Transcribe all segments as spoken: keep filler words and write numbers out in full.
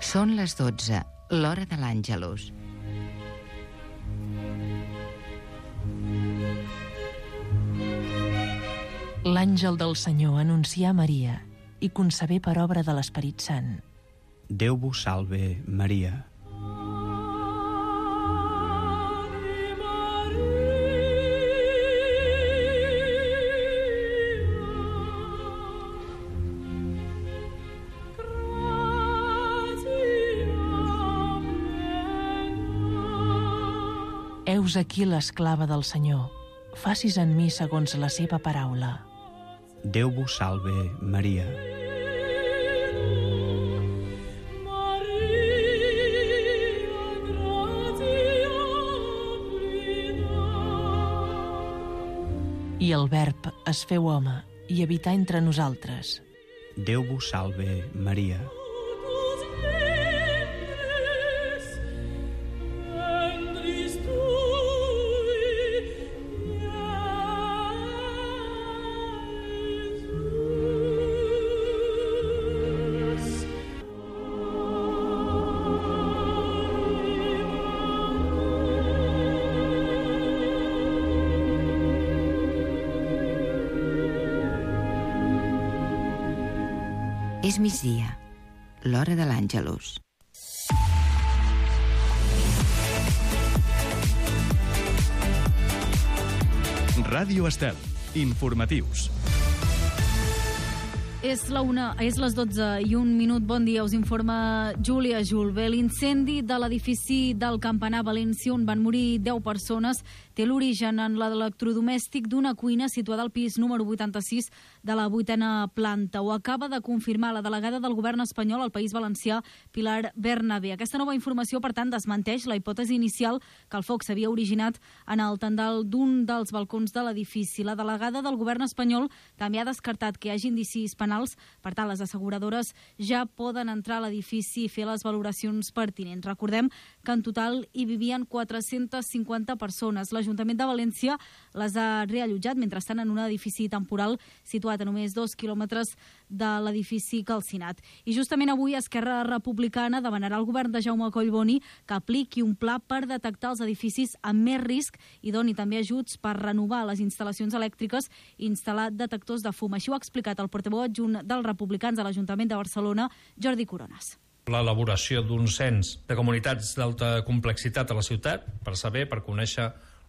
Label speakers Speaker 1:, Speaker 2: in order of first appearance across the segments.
Speaker 1: Són les dotze, l'hora de l'Àngelus.
Speaker 2: L'àngel del Senyor anuncià a Maria i concebé per obra de l'Esperit Sant.
Speaker 3: Déu vos salve, Maria.
Speaker 2: Heus aquí l'esclava del Senyor. Facis en mi segons la seva paraula.
Speaker 3: Déu vos salve, Maria.
Speaker 2: I el Verb es feu home i habità entre nosaltres.
Speaker 3: Déu vos salve, Maria.
Speaker 1: És migdia, l'hora de l'Àngelus.
Speaker 4: Ràdio Estel, informatius.
Speaker 5: És la una, és les dotze i un minut. Bon dia, us informa Júlia Julve. L'incendi de l'edifici del Campanar València, on van morir deu persones, té l'origen en l'electrodomèstic d'una cuina situada al pis número vuitanta-sis de la vuitena planta. Ho acaba de confirmar la delegada del govern espanyol al País Valencià, Pilar Bernabé. Aquesta nova informació, per tant, desmenteix la hipòtesi inicial que el foc s'havia originat en el tendal d'un dels balcons de l'edifici. La delegada del govern espanyol també ha descartat que hi hagi indicis penals. Per tant, les asseguradores ja poden entrar a l'edifici i fer les valoracions pertinents. Recordem que en total hi vivien quatre-centes cinquanta persones. L'Ajuntament de València les ha reallotjat mentre estan en un edifici temporal situat a només dos quilòmetres de l'edifici calcinat. I justament avui Esquerra Republicana demanarà al govern de Jaume Collboni que apliqui un pla per detectar els edificis amb més risc i doni també ajuts per renovar les instal·lacions elèctriques i instal·lar detectors de fum. Així ho ha explicat el portaveu adjunt dels republicans a l'Ajuntament de Barcelona, Jordi Coronas.
Speaker 6: L'elaboració d'un cens de comunitats d'alta complexitat a la ciutat per saber, per conèixer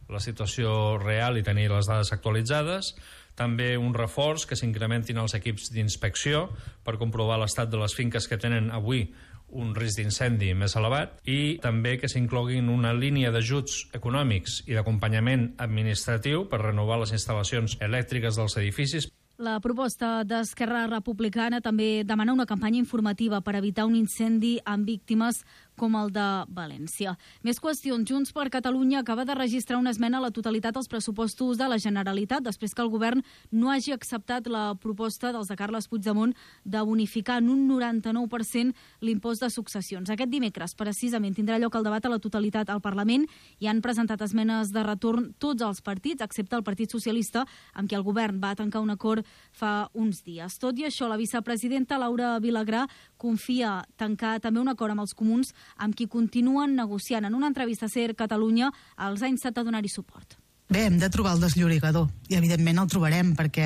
Speaker 6: la situació real i tenir les dades actualitzades. També un reforç que s'incrementin els equips d'inspecció per comprovar l'estat de les finques que tenen avui un risc d'incendi més elevat, i també que s'incloguin una línia d'ajuts econòmics i d'acompanyament administratiu per renovar les instal·lacions elèctriques dels edificis.
Speaker 5: La proposta d'Esquerra Republicana també demana una campanya informativa per evitar un incendi amb víctimes com el de València. Més qüestions. Junts per Catalunya acaba de registrar una esmena a la totalitat als pressupostos de la Generalitat després que el govern no hagi acceptat la proposta dels de Carles Puigdemont de bonificar en un noranta-nou per cent l'impost de successions. Aquest dimecres, precisament, tindrà lloc el debat a la totalitat al Parlament i han presentat esmenes de retorn tots els partits, excepte el Partit Socialista, amb qui el govern va tancar un acord fa uns dies. Tot i això, la vicepresidenta Laura Vilagrà confia tancar també un acord amb els comuns amb qui continuen negociant. En una entrevista a SER Catalunya els ha instat a donar-hi suport.
Speaker 7: Bé, hem de trobar el desllorigador i evidentment el trobarem perquè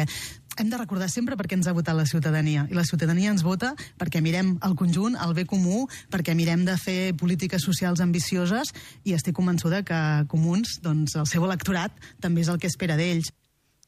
Speaker 7: hem de recordar sempre per què ens ha votat la ciutadania. I la ciutadania ens vota perquè mirem el conjunt, el bé comú, perquè mirem de fer polítiques socials ambicioses i estic convençuda que Comuns, doncs el seu electorat també és el que espera d'ells.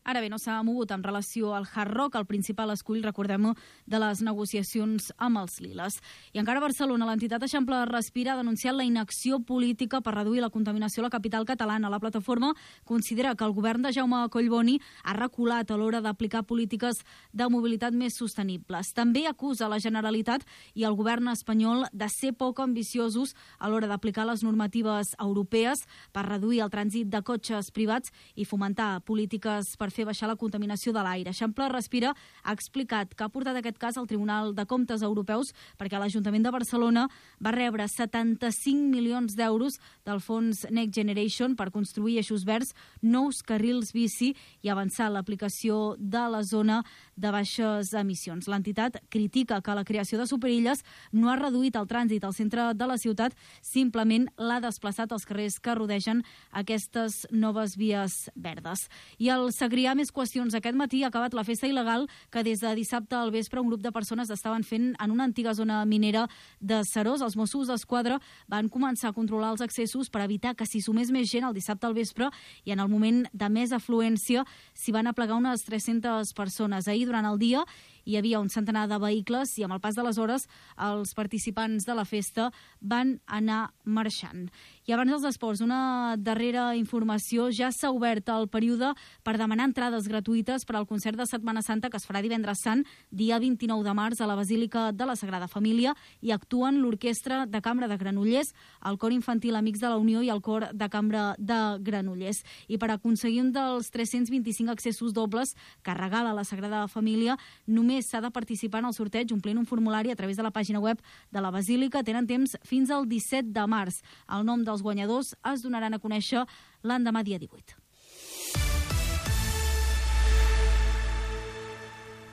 Speaker 5: Ara bé, no s'ha mogut en relació al Hard Rock, el principal escull, recordem-ho, de les negociacions amb els Liles. I encara a Barcelona, l'entitat Eixample Respira ha denunciat la inacció política per reduir la contaminació a la capital catalana. La plataforma considera que el govern de Jaume Collboni ha reculat a l'hora d'aplicar polítiques de mobilitat més sostenibles. També acusa la Generalitat i el govern espanyol de ser poc ambiciosos a l'hora d'aplicar les normatives europees per reduir el trànsit de cotxes privats i fomentar polítiques per fer baixar la contaminació de l'aire. Eixample Respira ha explicat que ha portat aquest cas al Tribunal de Comptes Europeus perquè l'Ajuntament de Barcelona va rebre setanta-cinc milions d'euros del fons Next Generation per construir eixos verds, nous carrils bici i avançar l'aplicació de la zona de baixes emissions. L'entitat critica que la creació de superilles no ha reduït el trànsit al centre de la ciutat, simplement l'ha desplaçat als carrers que rodegen aquestes noves vies verdes. I al Segrià, més qüestions. Aquest matí ha acabat la festa il·legal que des de dissabte al vespre un grup de persones estaven fent en una antiga zona minera de Serós. Els Mossos d'Esquadra van començar a controlar els accessos per evitar que s'hi sumés més gent el dissabte al vespre i en el moment de més afluència s'hi van aplegar unes tres-centes persones. Ahir, durant el dia, hi havia un centenar de vehicles i amb el pas de les hores els participants de la festa van anar marxant. I abans dels esports, una darrera informació. Ja s'ha obert el període per demanar entrades gratuïtes per al concert de Setmana Santa que es farà divendres sant, dia vint-i-nou de març, a la Basílica de la Sagrada Família, i actuen l'Orquestra de Cambra de Granollers, el Cor Infantil Amics de la Unió i el Cor de Cambra de Granollers. I per aconseguir un dels tres-cents vint-i-cinc accessos dobles que regala la Sagrada Família, només s'ha de participar en el sorteig omplint un formulari a través de la pàgina web de la Basílica. Tenen temps fins al disset de març. El nom dels guanyadors es donaran a conèixer l'endemà dia divuit.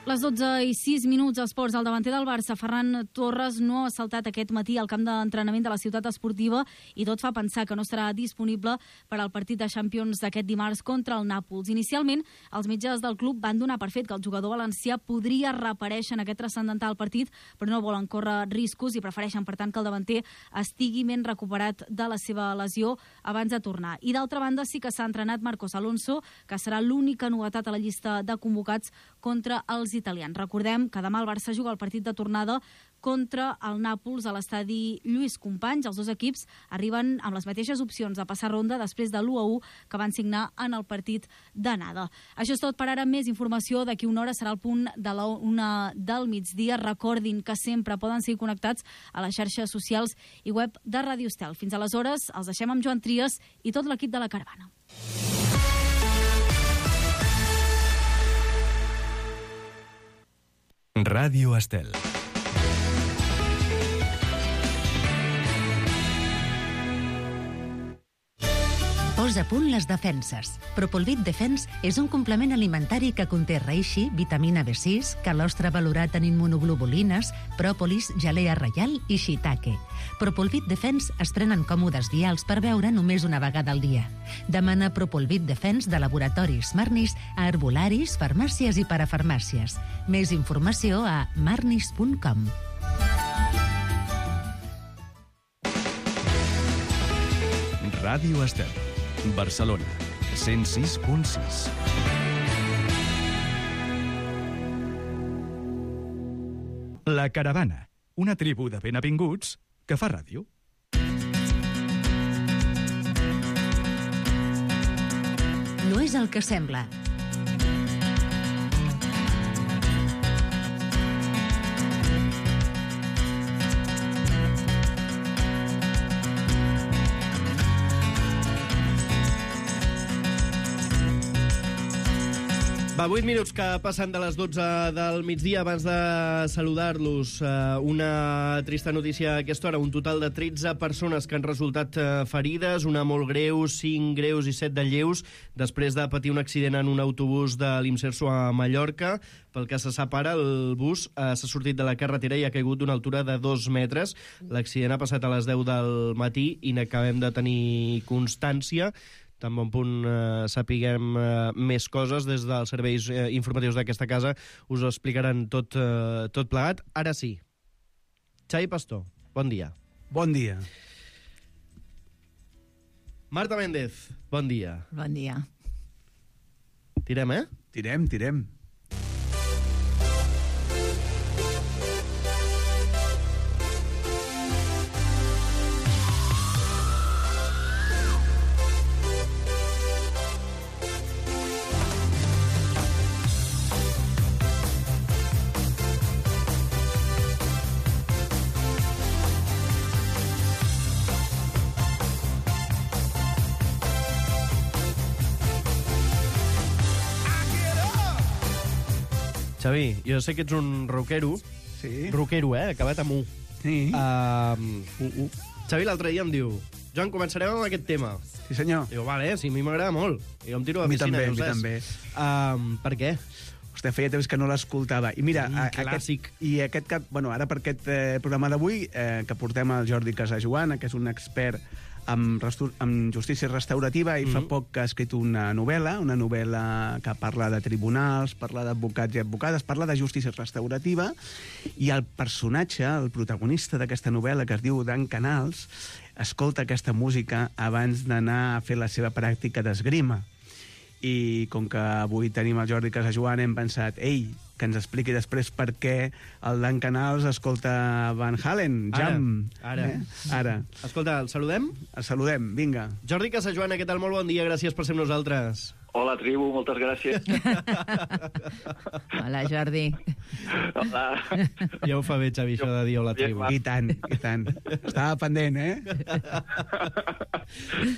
Speaker 5: Les dotze i sis minuts, esports. El davanter del Barça, Ferran Torres, no ha saltat aquest matí al camp d'entrenament de la ciutat esportiva i tot fa pensar que no estarà disponible per al partit de Champions d'aquest dimarts contra el Nàpols. Inicialment, els metges del club van donar per fet que el jugador valencià podria reaparèixer en aquest transcendental partit, però no volen córrer riscos i prefereixen, per tant, que el davanter estigui ben recuperat de la seva lesió abans de tornar. I d'altra banda, sí que s'ha entrenat Marcos Alonso, que serà l'única novetat a la llista de convocats contra els italians. Recordem que demà el Barça juga el partit de tornada contra el Nàpols a l'estadi Lluís Companys. Els dos equips arriben amb les mateixes opcions de passar ronda després de l'u a u que van signar en el partit d'anada. Això és tot per ara. Més informació d'aquí una hora serà el punt de la una del migdia. Recordin que sempre poden seguir connectats a les xarxes socials i web de Ràdio Estel. Fins aleshores, els deixem amb Joan Trias i tot l'equip de la caravana.
Speaker 4: Ràdio Estel.
Speaker 8: Posa a punt les defenses. Propolvit Defense és un complement alimentari que conté reishi, vitamina B sis, calostre valorat en immunoglobulines, pròpolis, gelea reial i shiitake. Propolvit Defense es prenen còmodes vials per beure només una vegada al dia. Demana Propolvit Defense de laboratoris Marnis a herbolaris, farmàcies i parafarmàcies. Més informació a marnis punt com.
Speaker 4: Ràdio Estel. Barcelona, cent sis punt sis. La Caravana, una tribu de benavinguts que fa ràdio.
Speaker 8: No és el que sembla.
Speaker 9: Va, vuit minuts que passen de les dotze del migdia. Abans de saludar-los, una trista notícia a aquesta hora. Un total de tretze persones que han resultat ferides, una molt greu, cinc greus i set de lleus, després de patir un accident en un autobús de l'Imserso a Mallorca. Pel que se sap ara, el bus s'ha sortit de la carretera i ha caigut d'una altura de dos metres. L'accident ha passat a les deu del matí i n'acabem de tenir constància. Tan bon punt eh, sapiguem eh, més coses des dels serveis eh, informatius d'aquesta casa, us ho explicaran tot, eh, tot plegat. Ara sí. Xavi Pastor, bon dia.
Speaker 10: Bon dia.
Speaker 9: Marta Méndez, bon dia.
Speaker 11: Bon dia.
Speaker 9: Tirem, eh?
Speaker 10: Tirem, tirem.
Speaker 12: I
Speaker 9: Xavi, jo sé que ets un rockero.
Speaker 10: Sí.
Speaker 9: Rockero, eh? Acabat amb U.
Speaker 10: Sí.
Speaker 9: Uh, uh, uh. Xavi l'altre dia em diu: Joan, començarem amb aquest tema.
Speaker 10: Sí, senyor.
Speaker 9: Diu, vale, sí, a mi m'agrada molt. I jo em tiro a la
Speaker 10: mi
Speaker 9: piscina,
Speaker 10: també,
Speaker 9: ja ho
Speaker 10: mi
Speaker 9: saps.
Speaker 10: també.
Speaker 9: Uh, per què?
Speaker 10: Hòstia, feia temps que no l'escoltava. I mira,
Speaker 9: Un
Speaker 10: a,
Speaker 9: clàssic.
Speaker 10: Aquest, i aquest cap, bueno, ara per aquest eh, programa d'avui, eh, que portem el Jordi Casajoana, que és un expert en, en justícia restaurativa, i mm-hmm. fa poc que ha escrit una novel·la, una novel·la que parla de tribunals, parla d'advocats i advocades, parla de justícia restaurativa, i el personatge, el protagonista d'aquesta novel·la, que es diu Dan Canals, escolta aquesta música abans d'anar a fer la seva pràctica d'esgrima. I com que avui tenim el Jordi Casajoana, hem pensat, ei, que ens expliqui després per què el Dan Canals escolta Van Halen, Jam.
Speaker 9: Ara, ara.
Speaker 10: Eh? Ara.
Speaker 9: Escolta, el saludem?
Speaker 10: El saludem, vinga.
Speaker 9: Jordi Casajoana, què tal? Molt bon dia, gràcies per ser amb nosaltres.
Speaker 11: Hola, tribu, moltes gràcies.
Speaker 12: Hola, Jordi.
Speaker 11: Hola.
Speaker 9: Ja ho fa bé, Xavi, això de dir hola, tribu.
Speaker 10: I tant, i tant. Estava pendent, eh?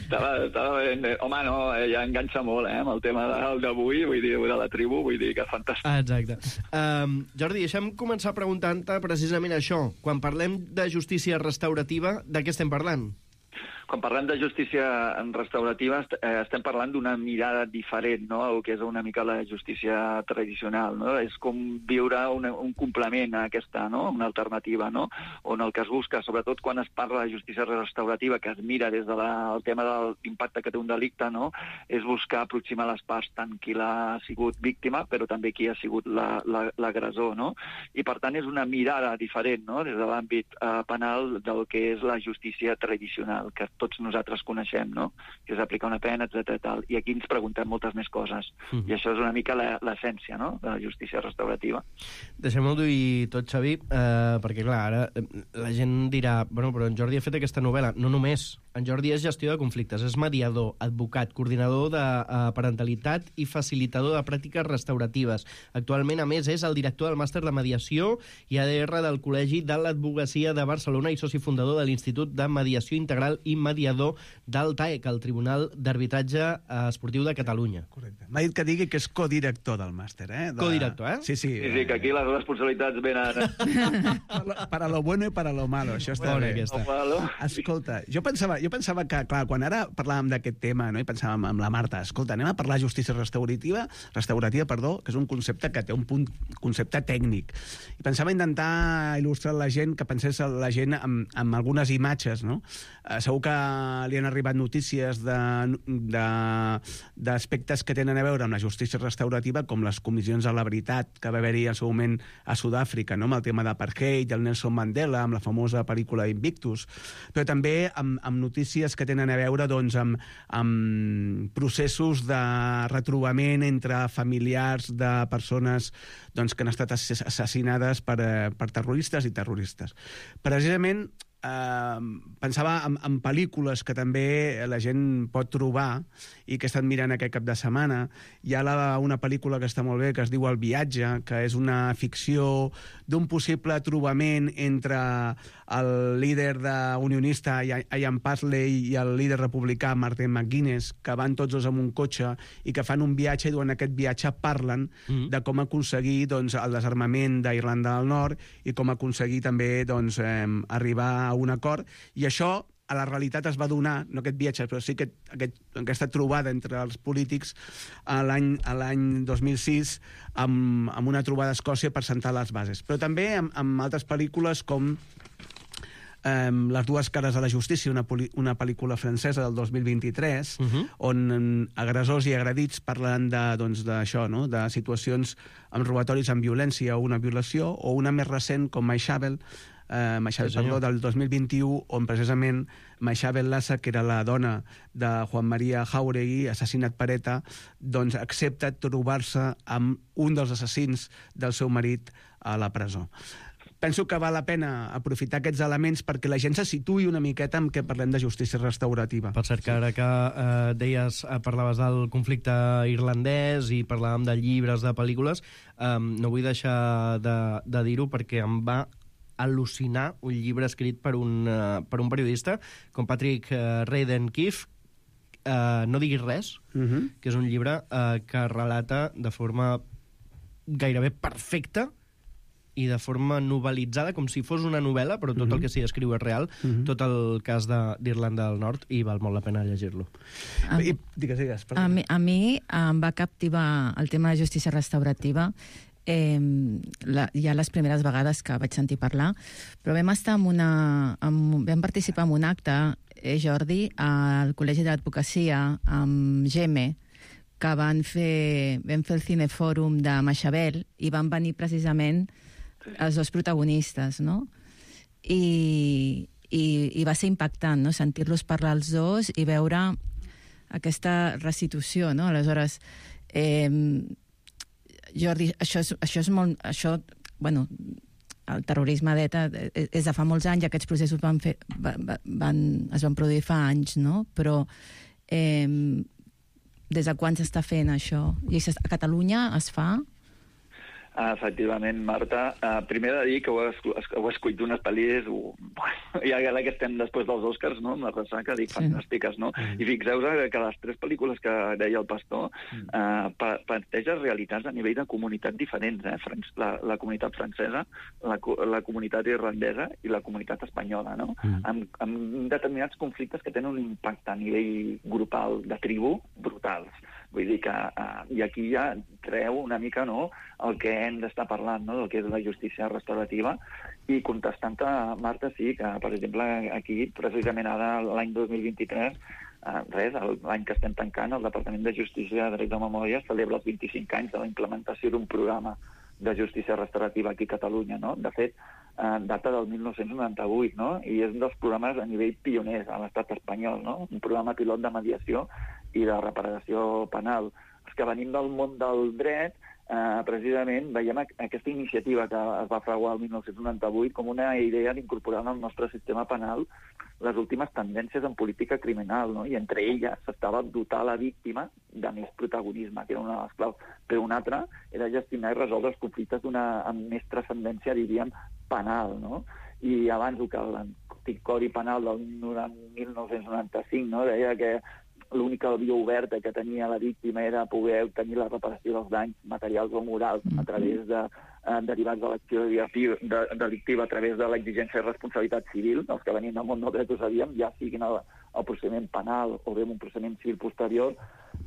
Speaker 11: estava, estava ben... Home, no, ja enganxa molt, eh, amb el tema d'avui, vull dir, de la tribu, vull dir que fantàstic.
Speaker 9: Ah, exacte. Um, Jordi, deixa'm començar preguntant-te precisament això. Quan parlem de justícia restaurativa, de què estem parlant?
Speaker 11: Quan parlem de justícia restaurativa eh, estem parlant d'una mirada diferent, no?, el que és una mica la justícia tradicional, no? És com viure una, un complement a aquesta, no?, una alternativa, no?, on el que es busca, sobretot quan es parla de justícia restaurativa, que es mira des del de tema de l'impacte que té un delicte, no?, és buscar aproximar les parts, tant qui l'ha sigut víctima, però també qui ha sigut l'agressor, no? I per tant és una mirada diferent, no?, des de l'àmbit eh, penal del que és la justícia tradicional, que tots nosaltres coneixem, no?, que és aplicar una pena, etcètera. I aquí ens preguntem moltes més coses. Mm. I això és una mica l'essència, no?, de la justícia restaurativa.
Speaker 9: Deixem-ho dir tot, Xavi, eh, perquè, clar, ara la gent dirà, bueno, però en Jordi ha fet aquesta novel·la. No només. En Jordi és gestió de conflictes, és mediador, advocat, coordinador de eh, parentalitat i facilitador de pràctiques restauratives. Actualment, a més, és el director del màster de mediació i A D R del Col·legi de l'Advocacia de Barcelona i soci fundador de l'Institut de Mediació Integral i mediador del T A E C, el Tribunal d'Arbitratge Esportiu de Catalunya.
Speaker 10: Correcte. M'ha dit que digui que és codirector del màster, eh? De...
Speaker 9: Codirector, eh?
Speaker 10: Sí, sí.
Speaker 11: Sí, sí, que aquí les responsabilitats venen...
Speaker 10: Para lo bueno i para lo malo, això està
Speaker 9: Bona,
Speaker 10: bé.
Speaker 9: aquesta.
Speaker 10: Escolta, jo pensava, jo pensava que, clar, quan ara parlàvem d'aquest tema, no?, i pensàvem amb la Marta, escolta, anem a parlar de justícia restaurativa, restaurativa, perdó, que és un concepte que té un punt, concepte tècnic. I pensava intentar il·lustrar la gent, que pensés la gent amb, amb algunes imatges, no? Eh, segur que li han arribat notícies d'aspectes que tenen a veure amb la justícia restaurativa, com les comissions de la veritat que va haver-hi al seu moment a Sud-àfrica, no?, amb el tema d'apartheid, el Nelson Mandela, amb la famosa pel·lícula Invictus, però també amb, amb notícies que tenen a veure, doncs, amb, amb processos de retrobament entre familiars de persones, doncs, que han estat assassinades per, per terroristes i terroristes. Precisament, Uh, pensava en, en pel·lícules que també la gent pot trobar i que he estat mirant aquest cap de setmana. Hi ha la, una pel·lícula que està molt bé, que es diu El viatge, que és una ficció d'un possible trobament entre el líder de unionista Ian Paisley i el líder republicà Martin McGuinness, que van tots dos amb un cotxe i que fan un viatge, i durant aquest viatge parlen mm. de com aconseguir, doncs, el desarmament d'Irlanda del Nord i com aconseguir també, doncs, eh, arribar a un acord, i això a la realitat es va donar, no aquest viatge, però sí que aquest, aquesta trobada entre els polítics a l'any a l'any dos mil sis amb, amb una trobada a Escòcia per sentar les bases. Però també amb, amb altres pel·lícules com Um, Les dues cares de la justícia, una, una pel·lícula francesa del dos mil vint-i-tres, uh-huh. on um, agressors i agredits parlen de, doncs, d'això, no?, de situacions amb robatoris amb violència o una violació, o una més recent com Maixabel, Uh, Maixabel, sí, perdó, del dos mil vint-i-u, on precisament Maixabel Lassa, que era la dona de Juan María Jauregui, assassinat per ETA, doncs accepta trobar-se amb un dels assassins del seu marit a la presó. Penso que val la pena aprofitar aquests elements perquè la gent se situï una miqueta en què parlem de justícia restaurativa.
Speaker 9: Per cert, que ara que eh, deies, eh, parlaves del conflicte irlandès i parlàvem de llibres, de pel·lícules, eh, no vull deixar de, de dir-ho perquè em va al·lucinar un llibre escrit per un, uh, per un periodista com Patrick uh, Radden Keefe, uh, No diguis res, uh-huh. que és un llibre uh, que relata de forma gairebé perfecta i de forma novel·litzada, com si fos una novel·la, però tot mm-hmm. el que s'hi escriu és real, mm-hmm. tot el cas d'Irlanda del Nord, i val molt la pena llegir-lo.
Speaker 12: A,
Speaker 9: I, digues, digues.
Speaker 12: A mi, a mi em va captivar el tema de justícia restaurativa eh, la, ja les primeres vegades que vaig sentir parlar, però vam estar en una... En, vam participar en un acte, eh, Jordi, al Col·legi de l'Advocacia, amb Geme, que van fer, vam fer el cinefòrum de Maixabel i van venir precisament els dos protagonistes, no? I, i, i va ser impactant, no?, sentir-los parlar els dos i veure aquesta restitució, no? Aleshores, eh, Jordi, això és, això és molt... Això, bueno, el terrorisme d'ETA és de fa molts anys, aquests processos van fer, van, es van produir fa anys, no? Però eh, des de quan s'està fent això? I a Catalunya es fa?
Speaker 11: Uh, efectivament, Marta. Uh, primer de dir que heu, heu escollit unes pel·lis, uh, i ara que estem després dels Oscars, no?, amb la ressaca, dic, sí. fantàstiques, no? Mm. I fixeu-vos que les tres pel·lícules que deia el Pastor mm. uh, planteja realitats a nivell de comunitat diferents, eh? La, la comunitat francesa, la, la comunitat irlandesa i la comunitat espanyola, no? Mm. Amb, amb determinats conflictes que tenen un impacte a nivell grupal de tribu brutals. Vull dir que... Uh, I aquí ja treu una mica, no?, el que hem d'estar parlant, no?, del que és la justícia restaurativa, i contestant a Marta, sí, que, per exemple, aquí, precisament ara, l'any dos mil vint-i-tres, uh, res, l'any que estem tancant, el Departament de Justícia de Dret de Memòria celebra els vint-i-cinc anys de la implementació d'un programa de justícia restaurativa aquí a Catalunya, no? De fet, eh, data del mil nou-cents noranta-vuit, no? I és un dels programes a nivell pioners a l'estat espanyol, no? Un programa pilot de mediació i de reparació penal. Els que venim del món del dret, eh, precisament veiem aquesta iniciativa que es va fraguar el mil nou-cents noranta-vuit com una idea d'incorporar en el nostre sistema penal les últimes tendències en política criminal, no? I entre elles s'estava dotar la víctima de més protagonisme, que era una de les claus. Però una altra era gestionar i resoldre els conflictes d'una amb més transcendència, diríem, penal, no? I abans que l'antic Codi Penal del mil nou-cents noranta-cinc, no?, deia que l'única via oberta que tenia la víctima era poder obtenir la reparació dels danys materials o morals a través de eh, derivats de l'acció de, delictiva a través de l'exigència de responsabilitat civil. Els que venim del món del dret ho sabíem, ja siguin el, el procediment penal o bé un procediment civil posterior.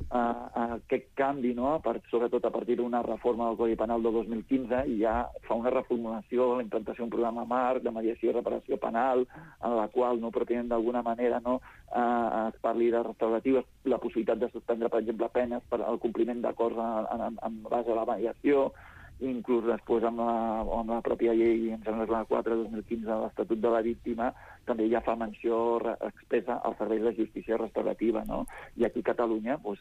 Speaker 11: Uh, aquest canvi, no?, per, sobretot a partir d'una reforma del Codi Penal del dos mil quinze, i ja fa una reformulació, la implantació d'un programa marc de mediació i reparació penal, en la qual no pretenen d'alguna manera, no, uh, es parli de restauratives, la possibilitat de suspendre, per exemple, penes per al compliment d'acords en, en, en base a la mediació, inclús després amb la, amb la pròpia llei, em sembla que la quatre dos mil quinze, de l'Estatut de la Víctima, també ja fa menció expressa als serveis de justícia restaurativa, no? I aquí a Catalunya, doncs,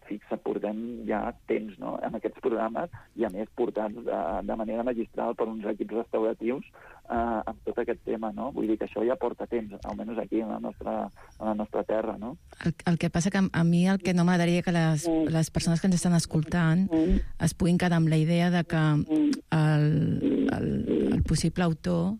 Speaker 11: fixa, portem ja temps, no?, en aquests programes, i a més portats de, de manera magistral per uns equips restauratius eh, amb tot aquest tema, no? Vull dir que això ja porta temps, almenys aquí en la nostra, en la nostra terra, no?
Speaker 12: El, el que passa que a mi el que no m'agradaria que les, les persones que ens estan escoltant es puguin quedar amb la idea de que el, el, el possible autor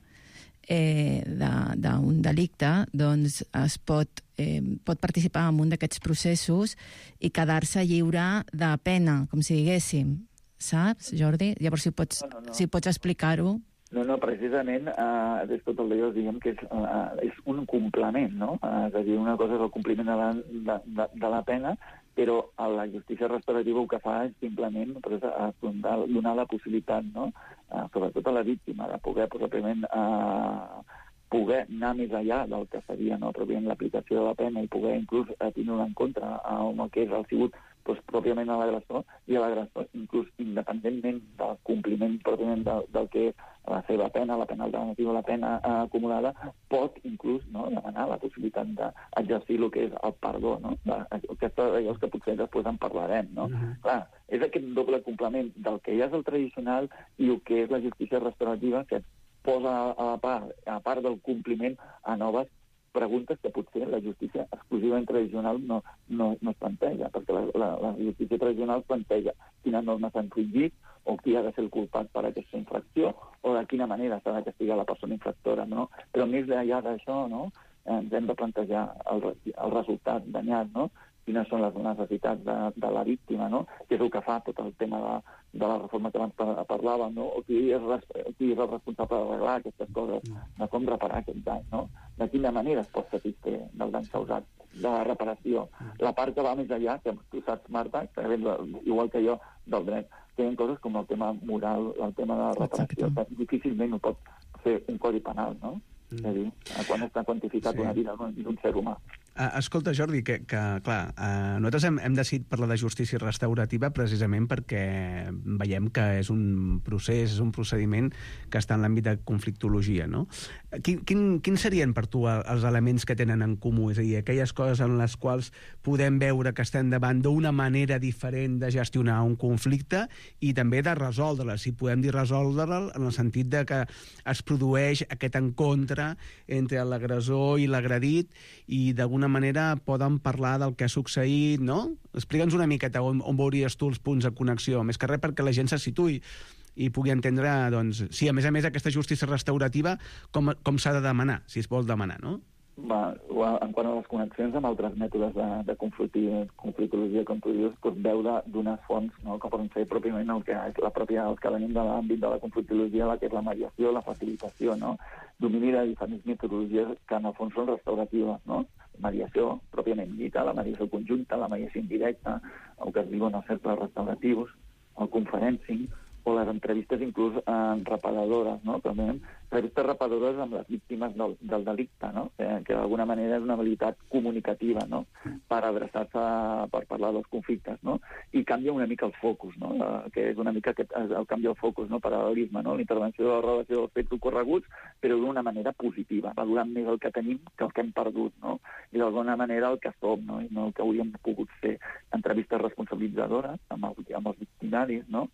Speaker 12: eh, d'un delicte doncs es pot, eh, pot participar en un d'aquests processos i quedar-se lliure de pena, com si diguéssim. Saps, Jordi? Llavors, si pots, no, no, no. si pots explicar-ho.
Speaker 11: No, no, precisament, eh, des tot el dia diguem que és, eh, és un complement, no? Eh, és a dir, una cosa és el compliment de la, de, de, de la pena, però a la justícia restaurativa el que fa és simplement pues, donar, donar la possibilitat, no?, eh, sobretot a la víctima, de poder, possiblement, eh, poder anar més enllà del que seria, no?, pròpiament l'aplicació de la pena, i poder inclús eh, tenir en compte amb el que és el sigut pues, pròpiament a l'agressor, i a l'agressor inclús independentment del compliment pròpiament del, del que és la seva pena, la pena alternativa, la pena eh, acumulada, pot inclús, no?, demanar la possibilitat d'exercir el que és el perdó, no?, aquestes allò que potser després en parlarem, no? Uh-huh. Clar, és aquest doble complement del que ja és el tradicional i el que és la justícia restaurativa, que posa a la part, a part del compliment a noves preguntes que potser la justícia exclusivament tradicional no, no, no es planteja, perquè la, la, la justícia tradicional planteja quines normes s'han infringit o qui ha de ser el culpat per aquesta infracció o de quina manera s'ha de castigar la persona infractora, no? Però més enllà d'això, no?, ens hem de plantejar el, el resultat danyat, no?, quines són les necessitats de, de la víctima, no? Que és el que fa tot el tema de, de la reforma que abans parlàvem, no? O qui és, qui és el responsable d'arreglar aquestes coses, de com reparar aquest dany, no? De quina manera es pot satisfer del dany causat, de la reparació. La part que va més allà, que tu saps, Marta, que igual que jo, del dret, tenen coses com el tema moral, el tema de la reparació, que difícilment ho pot fer un codi penal, no? Mm. És a dir, quan està quantificat sí. una vida d'un ser humà.
Speaker 10: Uh, escolta, Jordi, que, que clar, uh, nosaltres hem, hem decidit parlar de justícia restaurativa precisament perquè veiem que és un procés, és un procediment que està en l'àmbit de conflictologia, no? Quin, quin, quins serien per tu els elements que tenen en comú? És a dir, aquelles coses en les quals podem veure que estem davant d'una manera diferent de gestionar un conflicte i també de resoldre'l, si podem dir resoldre'l en el sentit de que es produeix aquest encontre entre l'agressor i l'agredit i d'alguna manera poden parlar del que ha succeït, no? Explica'ns una miqueta on, on veuries tu els punts de connexió, més que res perquè la gent se situï i pugui entendre, doncs, sí, a més a més, aquesta justícia restaurativa, com, com s'ha de demanar, si es vol demanar, no?
Speaker 11: Va, en quant a les connexions amb altres mètodes de, de conflictologia, com tu dius, doncs veu d'unes fonts, no?, que poden ser pròpiament el que és la pròpia, els que venim de l'àmbit de la conflictologia, la que és la mediació, la facilitació, no? Domini de diferents metodologies que en el fons són restauratives, no? Mediació pròpiament dita, la mediació conjunta, la mediació indirecta, el que es diuen els cercles restauratius, el conferencing, o les entrevistes inclús eh, reparadores, no? També entrevistes reparadores amb les víctimes del, del delicte, no? Eh, que d'alguna manera és una habilitat comunicativa, no? Per adreçar-se, per parlar dels conflictes, no? I canvia una mica el focus, no? Eh, que és una mica aquest, el canvi del focus, no? Paral·lelisme, no? La intervenció de la relació dels fets ocorreguts, però d'una manera positiva, valorant més el que tenim que el que hem perdut, no? I d'alguna manera el que som, no? I no el que hauríem pogut fer. Entrevistes responsabilitzadores amb, el, amb els victimaris, no?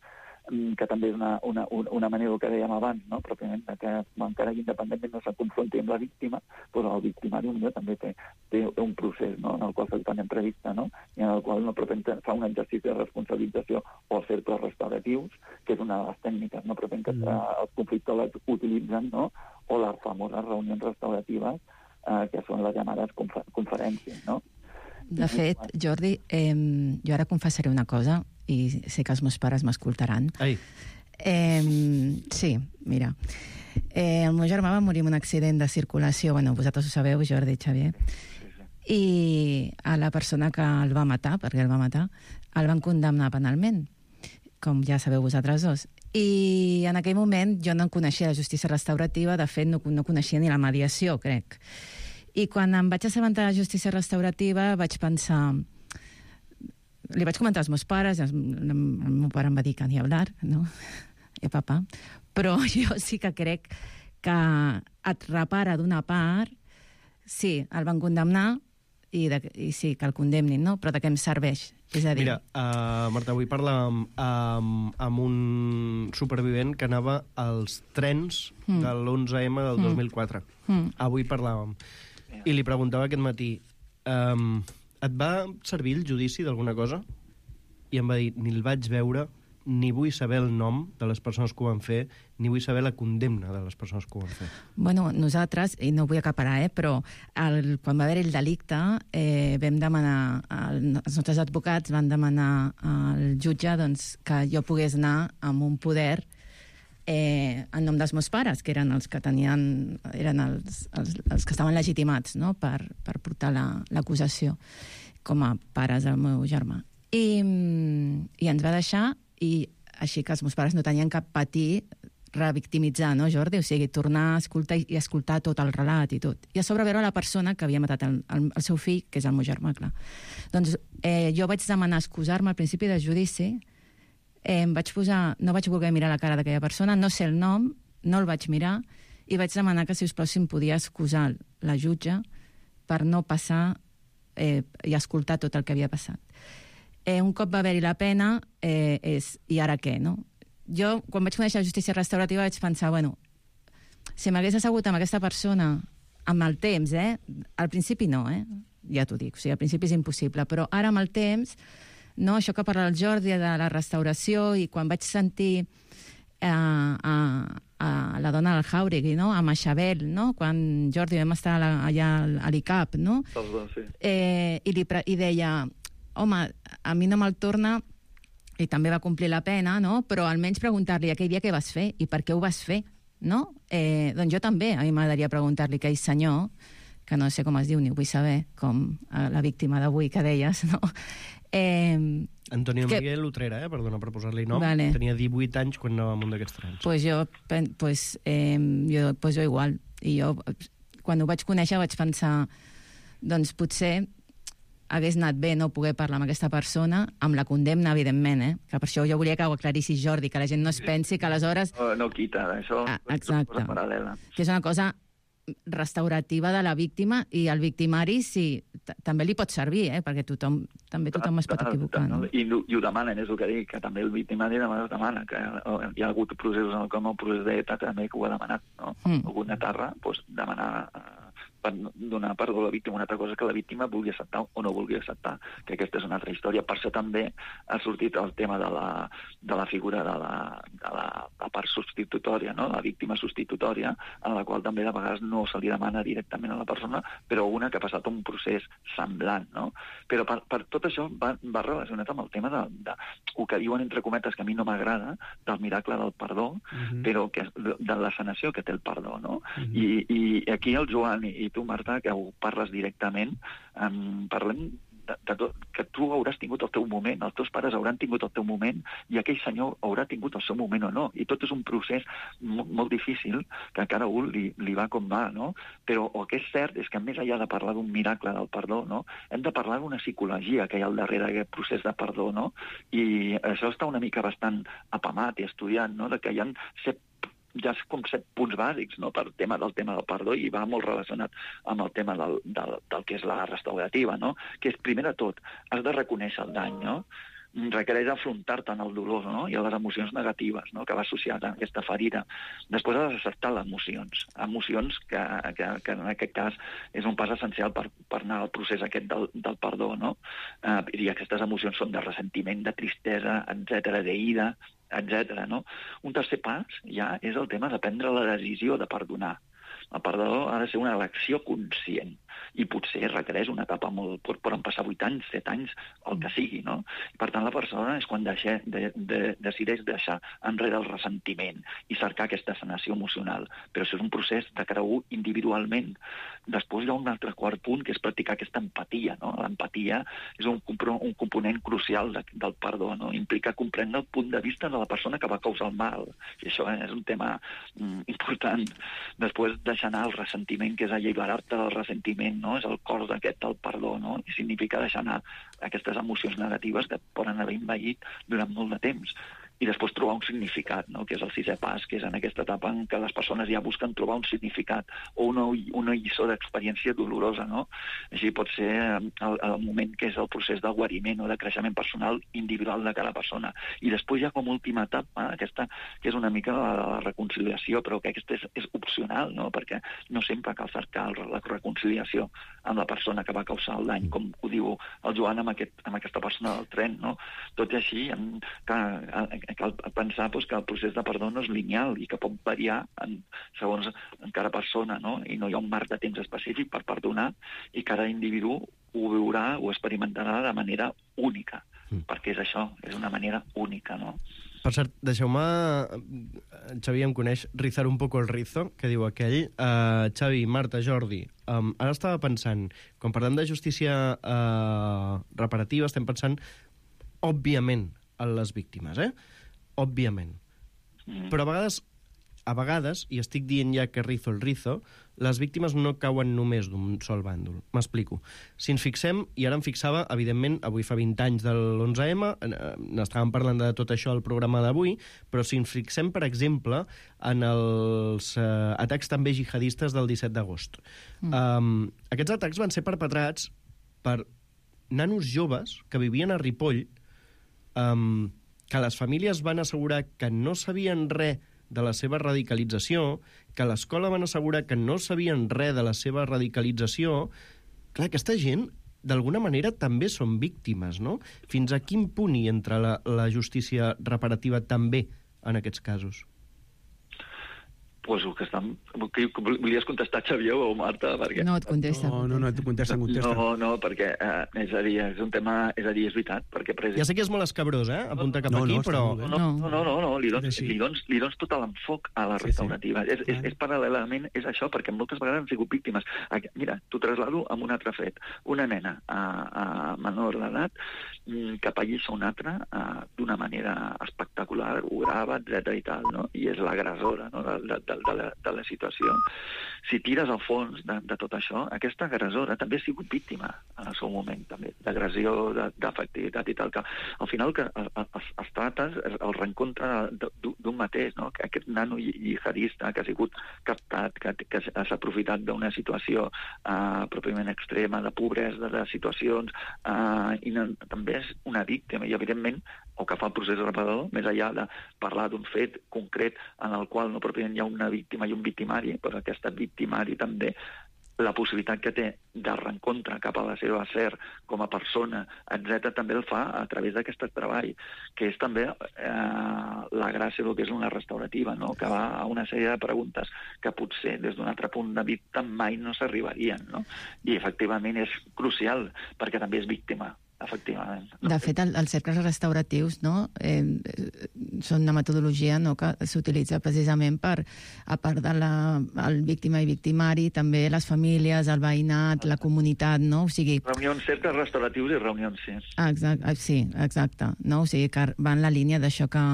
Speaker 11: Que també és una, una, una manera que dèiem abans, no? Pròpiament, que encara que independentment no se confronti amb la víctima, però el victimari també té, té un procés, no?, en el qual se fan entrevista, no?, i en el qual no fa un exercici de responsabilització o els cercles restauratius, que és una de les tècniques, no?, pròpiament que mm. els conflictòlegs utilitzen, no?, o les famoses reunions restauratives, eh, que són les llamades confer conferències, no?
Speaker 12: De fet, Jordi, eh, jo ara confessaré una cosa, i sé que els meus pares m'escoltaran.
Speaker 9: Ai.
Speaker 12: Eh, sí, mira. Eh, el meu germà va morir en un accident de circulació, bueno, vosaltres ho sabeu, Jordi, Xavier, i a la persona que el va matar, perquè el va matar, el van condemnar penalment, com ja sabeu vosaltres dos. I en aquell moment jo no coneixia la justícia restaurativa, de fet no, no coneixia ni la mediació, crec. I quan em vaig assabentar de la justícia restaurativa vaig pensar... Li vaig comentar als meus pares, el meu pare em va dir que ni hablar, no? I papa. Però jo sí que crec que et repara d'una part, sí, el van condemnar, i, de, i sí, que el condemnin, no? Però de què em serveix? És a dir...
Speaker 9: Mira, uh, Marta, vull parlar amb, amb, amb un supervivent que anava als trens mm. de l'onze eme del dos mil quatre. Mm. Avui parlàvem. I li preguntava aquest matí... Um, et va servir el judici d'alguna cosa? I em va dir, ni el vaig veure, ni vull saber el nom de les persones que ho van fer, ni vull saber la condemna de les persones que ho van fer.
Speaker 12: Bueno, nosaltres, i no vull acaparar, eh, però el, quan va haver el delicte, eh, vam demanar, el, els nostres advocats van demanar al jutge doncs, que jo pogués anar amb un poder eh, en nom dels meus pares, que eren els que tenien, eren els, els, els que estaven legitimats, no?, per, per portar l'acusació la, com a pares del meu germà. I, i ens va deixar, i així que els meus pares no tenien cap patir revictimitzar, no, Jordi? O sigui, tornar a escoltar i escoltar tot el relat i tot. I a sobre veure la persona que havia matat el, el, el seu fill, que és el meu germà, clar. Doncs eh, jo vaig demanar excusar-me al principi del judici, eh, em vaig posar, no vaig voler mirar la cara d'aquella persona, no sé el nom, no el vaig mirar, i vaig demanar que, si us plau, si em podia excusar la jutge per no passar eh, i escoltar tot el que havia passat. Eh, un cop va haver-hi la pena, eh, és, i ara què, no? Jo, quan vaig conèixer la justícia restaurativa, vaig pensar, bueno, si m'hagués assegut amb aquesta persona amb el temps, eh? Al principi no, eh? Ja t'ho dic, o sigui, al principi és impossible, però ara amb el temps, no? Això que parla el Jordi de la restauració, i quan vaig sentir eh, a, a la dona del Jauregui, no? A Maxabel, no? Quan Jordi vam estar allà a l'I C A P, no?
Speaker 11: Els dos, sí.
Speaker 12: Eh, i, li, i deia, home, a mi no me'l torna i també va complir la pena, no? Però almenys preguntar-li aquell dia què vas fer i per què ho vas fer, no? Eh, doncs jo també, a mi m'agradaria preguntar-li aquell senyor, que no sé com es diu ni ho vull saber, com la víctima d'avui que deies, no? Eh,
Speaker 9: Antonio
Speaker 12: que...
Speaker 9: Miguel Utrera, eh? Perdona per posar-li nom.
Speaker 12: Vale.
Speaker 9: Tenia divuit anys quan anava amb un d'aquests trens.
Speaker 12: Pues jo, pues, eh, jo, pues jo igual. I jo, quan ho vaig conèixer, vaig pensar, doncs potser hagués anat bé no poder parlar amb aquesta persona, amb la condemna, evidentment, eh? Que per això jo volia que ho aclarissis, Jordi, que la gent no es pensi que aleshores...
Speaker 11: No, no quita, això
Speaker 12: ah,
Speaker 11: és una cosa paral·lela.
Speaker 12: Que és una cosa restaurativa de la víctima i el victimari sí, també li pot servir, eh? Perquè tothom, també tothom es pot equivocar. No?
Speaker 11: I, I ho demanen, és el que dic, que també el victimari demana, demana que hi ha hagut processos en el com el procés d'E T A també que ho ha demanat, no? Mm. Alguna tarra, doncs, demanar per donar perdó a la víctima. Una altra cosa que la víctima vulgui acceptar o no vulgui acceptar, que aquesta és una altra història. Per això també ha sortit el tema de la, de la figura de la, de la, la part substitutòria, no? La víctima substitutòria, en la qual també de vegades no se li demana directament a la persona, però una que ha passat un procés semblant, no? Però per, per tot això va, va relacionat amb el tema de, de, el que diuen entre cometes, que a mi no m'agrada, del miracle del perdó, uh-huh. però que, de, de la sanació que té el perdó, no? Uh-huh. I, I aquí el Joan i, i tu, Marta, que ho parles directament, um, parlem de, de tot, que tu hauràs tingut el teu moment, els teus pares hauran tingut el teu moment i aquell senyor haurà tingut el seu moment o no. I tot és un procés molt, molt difícil que a cada un li, li va com va, no? Però el que és cert és que més enllà de parlar d'un miracle del perdó, no? Hem de parlar d'una psicologia que hi ha al darrere d'aquest procés de perdó, no? I això està una mica bastant apamat i estudiat, no? De que hi ha set ja és com set punts bàsics, no?, per tema del tema del perdó, i va molt relacionat amb el tema del, del, del que és la restaurativa, no?, que és, primer de tot, has de reconèixer el dany, no?, requereix afrontar-te en el dolor, no?, i a les emocions negatives, no?, que va associat a aquesta ferida. Després has d'acceptar les emocions, emocions que, que, que en aquest cas és un pas essencial per, per anar al procés aquest del, del perdó, no?, uh, i aquestes emocions són de ressentiment, de tristesa, etcètera, d'ira, etcètera, no? Un tercer pas ja és el tema de prendre la decisió de perdonar. El perdó ha de ser una elecció conscient i potser requereix una etapa molt... poden passar vuit anys, set anys, el que sigui, no? I per tant, la persona és quan deixa, de, de, decideix deixar enrere el ressentiment i cercar aquesta sanació emocional. Però això és un procés de cada un individualment. Després hi ha un altre quart punt, que és practicar aquesta empatia, no? L'empatia és un, un component crucial de, del perdó, no? Implica comprendre el punt de vista de la persona que va causar el mal. I això és un tema mm, important. Després deixar anar el ressentiment, que és alliberar-te del ressentiment, no? És el cor d'aquest del perdó, no? I significa deixar anar aquestes emocions negatives que poden haver envaït durant molt de temps. I després trobar un significat, no?, que és el sisè pas, que és en aquesta etapa en què les persones ja busquen trobar un significat o una, una lliçó d'experiència dolorosa, no? Així pot ser el, el moment que és el procés del guariment o de creixement personal individual de cada persona. I després ja com última etapa, aquesta, que és una mica la, la reconciliació, però que aquesta és, és opcional, no?, perquè no sempre cal cercar la reconciliació amb la persona que va causar el dany, com ho diu el Joan amb, aquest, amb aquesta persona del tren, no? Tot i així, en, que, cal pensar doncs, que el procés de perdó no és lineal i que pot variar en, segons en cada persona, no? I no hi ha un marc de temps específic per perdonar i cada individu ho viurà o experimentarà de manera única, mm. perquè és això, és una manera única, no?
Speaker 9: Per cert, deixeu-me... Xavi em coneix rizar un poco el rizo, que diu aquell. Uh, Xavi, Marta, Jordi, um, ara estava pensant, quan parlem de justícia uh, reparativa, estem pensant, òbviament, en les víctimes, eh? Òbviament. Mm. Però a vegades, a vegades, i estic dient ja que rizo el rizo, les víctimes no cauen només d'un sol bàndol. M'explico. Si ens fixem, i ara em fixava, evidentment, avui fa vint anys de l'onze eme, n'estàvem parlant de tot això al programa d'avui, però si ens fixem, per exemple, en els eh, atacs també jihadistes del disset d'agost. Mm. Um, aquests atacs van ser perpetrats per nanos joves que vivien a Ripoll, um, que les famílies van assegurar que no sabien res de la seva radicalització, que a l'escola van assegurar que no sabien res de la seva radicalització. Clar, aquesta gent, d'alguna manera, també són víctimes, no? Fins a quin punt hi entra la, la justícia reparativa també en aquests casos?
Speaker 11: pues que estan... Que volies contestar, Xavier o Marta? Perquè...
Speaker 12: No, et contesta.
Speaker 10: No, no, no, et contesta, contesta.
Speaker 11: No, no, perquè eh, és a dir, és un tema... És a dir, és veritat, perquè... President...
Speaker 9: Ja sé que és molt escabrós, eh? Apunta cap
Speaker 10: no,
Speaker 9: aquí,
Speaker 10: no,
Speaker 9: però...
Speaker 11: No, no, no, no, no. Li, dones, li, dones, li dones tot l'enfoc a la restaurativa. Sí, sí. És, és, és paral·lelament, és això, perquè moltes vegades han sigut víctimes. Mira, t'ho traslado amb un altre fet. Una nena a, a menor d'edat que pallissa una altra d'una manera espectacular, ho grava, etcètera i tal, no? I és l'agressora, no?, de, de, de, la, de la situació. Si tires al fons de, de tot això, aquesta agressora també ha sigut víctima en el seu moment, també, d'agressió, d'afectivitat i tal, que al final que es, es trata el reencontre d'un mateix, no? Aquest nano jihadista que ha sigut captat, que, que s'ha aprofitat d'una situació uh, pròpiament extrema, de pobresa, de situacions, uh, i no, també és una víctima, i evidentment o que fa el procés reparador, més enllà de parlar d'un fet concret en el qual no pròpiament hi ha una víctima i un victimari, però aquest victimari també la possibilitat que té de reencontre cap a la seva ser com a persona, etcètera, també el fa a través d'aquest treball, que és també eh, la gràcia del que és una restaurativa, no?, que va a una sèrie de preguntes que potser des d'un altre punt de vista mai no s'arribarien, no? I efectivament és crucial, perquè també és víctima. Efectivament.
Speaker 12: De fet, el, els cercles restauratius, no, eh, són una metodologia, no, que s'utilitza precisament per, a part de la, el víctima i victimari, també les famílies, el veïnat, la comunitat, no? O sigui...
Speaker 11: Reunions, cercles restauratius i reunions, sí.
Speaker 12: Exacte, sí, exacte. No? O sigui, que va en la línia d'això que...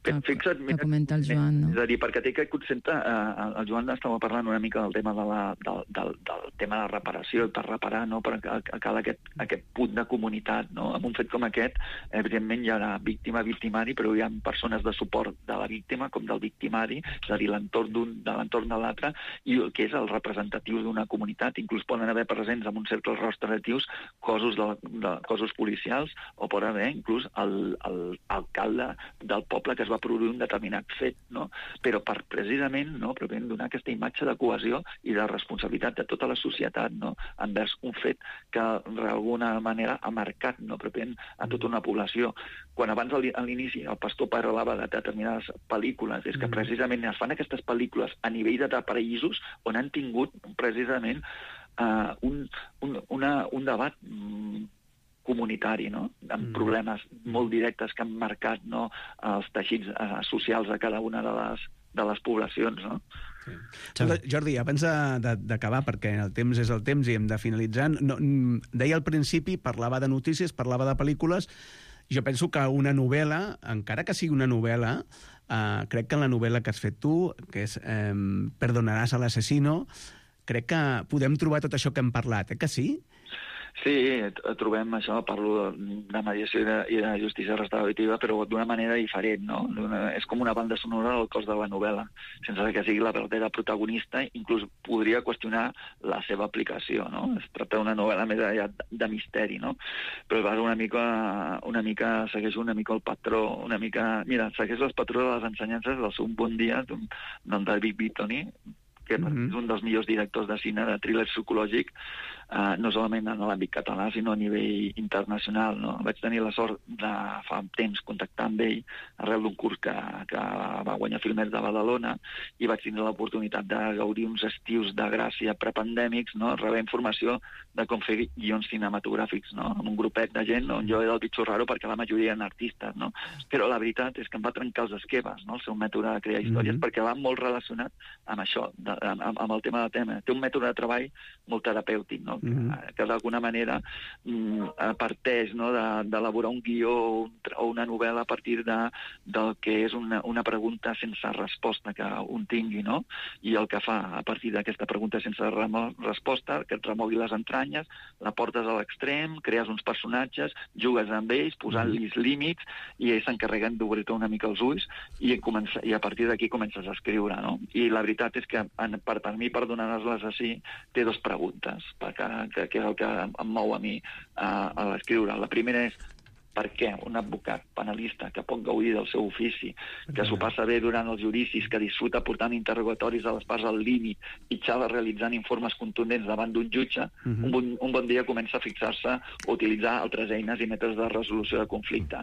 Speaker 12: Que,
Speaker 11: Fixa't, mira,
Speaker 12: que comenta el Joan, no?
Speaker 11: És a dir, perquè té aquest concepte, eh, el Joan estava parlant una mica del tema de la, del, del, del tema de la reparació, per reparar, no?, per cal aquest, aquest punt de comunitat, no? En un fet com aquest, evidentment hi ha víctima, victimari, però hi ha persones de suport de la víctima com del victimari, és a dir, l'entorn d'un, de l'entorn de l'altre, i el que és el representatiu d'una comunitat. Inclús poden haver presents en uns cercles restauratius cossos, de, de, cossos policials, o pot haver inclús el, el alcalde del poble que es va produir un determinat fet, no? Però per precisament, no?, pròpiament donar aquesta imatge de cohesió i de responsabilitat de tota la societat, no?, envers un fet que d'alguna manera ha marcat, no?, pròpiament a tota una població. Quan abans a l'inici el pastor parlava de determinades pel·lícules, és que precisament es fan aquestes pel·lícules a nivell de països on han tingut precisament uh, un, un, una, un debat mm, comunitari, no?, amb mm. problemes molt directes que han marcat, no?, els teixits eh, socials de cada una de les, de les poblacions, no?
Speaker 10: Sí. Jordi, abans d'acabar, perquè el temps és el temps i hem de finalitzar, no, deia al principi, parlava de notícies, parlava de pel·lícules. Jo penso que una novel·la, encara que sigui una novel·la, eh, crec que en la novel·la que has fet tu, que és eh, Perdonaràs a l'asesino, crec que podem trobar tot això que hem parlat, eh que sí?
Speaker 11: Sí, trobem això, parlo de mediació i de, i de justícia restaurativa, però d'una manera diferent, no? És com una banda sonora del cos de la novel·la, sense que sigui la verdadera protagonista, inclús podria qüestionar la seva aplicació, no? Es tracta d'una novel·la més allà de misteri, no? Però vas una mica, una mica, segueix una mica el patró, una mica... Mira, segueix el patró de les ensenyances del seu Bon dia, del David Bittoni, que mm-hmm. és un dels millors directors de cine de thriller psicològic, eh, no solament en l'àmbit català, sinó a nivell internacional, no? Vaig tenir la sort de fa temps contactar amb ell arrel d'un curs que, que va guanyar Filmers de Badalona, i vaig tenir l'oportunitat de gaudir uns estius de gràcia prepandèmics, no?, rebre informació de com fer guions cinematogràfics, no?, amb un grupet de gent on jo era el bitxo raro perquè la majoria eren artistes, no? Però la veritat és que em va trencar els esquemes, no?, el seu mètode de crear històries, mm-hmm. perquè va molt relacionat amb això, de, amb, amb el tema del tema. Té un mètode de treball molt terapèutic, no?, mm-hmm. que, que d'alguna manera mm, parteix, no?, d'elaborar de, un guió o una novel·la a partir de, del que és una, una pregunta sense resposta que un tingui, no?, i el que fa a partir d'aquesta pregunta sense resposta, que et remogui les entranyes, la portes a l'extrem, crees uns personatges, jugues amb ells, posant-los límits, i ells s'encarreguen d'obrir-te una mica els ulls, i, comença, i a partir d'aquí comences a escriure, no? I la veritat és que en, per, per mi Perdonaràs l'assassí té dues preguntes, perquè, que, que és el que em mou a mi a, a l'escriure. La primera és Per què un advocat penalista que pot gaudir del seu ofici, que s'ho passa bé durant els judicis, que disfruta portant interrogatoris a les parts al límit i xala realitzant informes contundents davant d'un jutge, uh-huh. un, bon, un bon dia comença a fixar-se o utilitzar altres eines i mètodes de resolució de conflicte.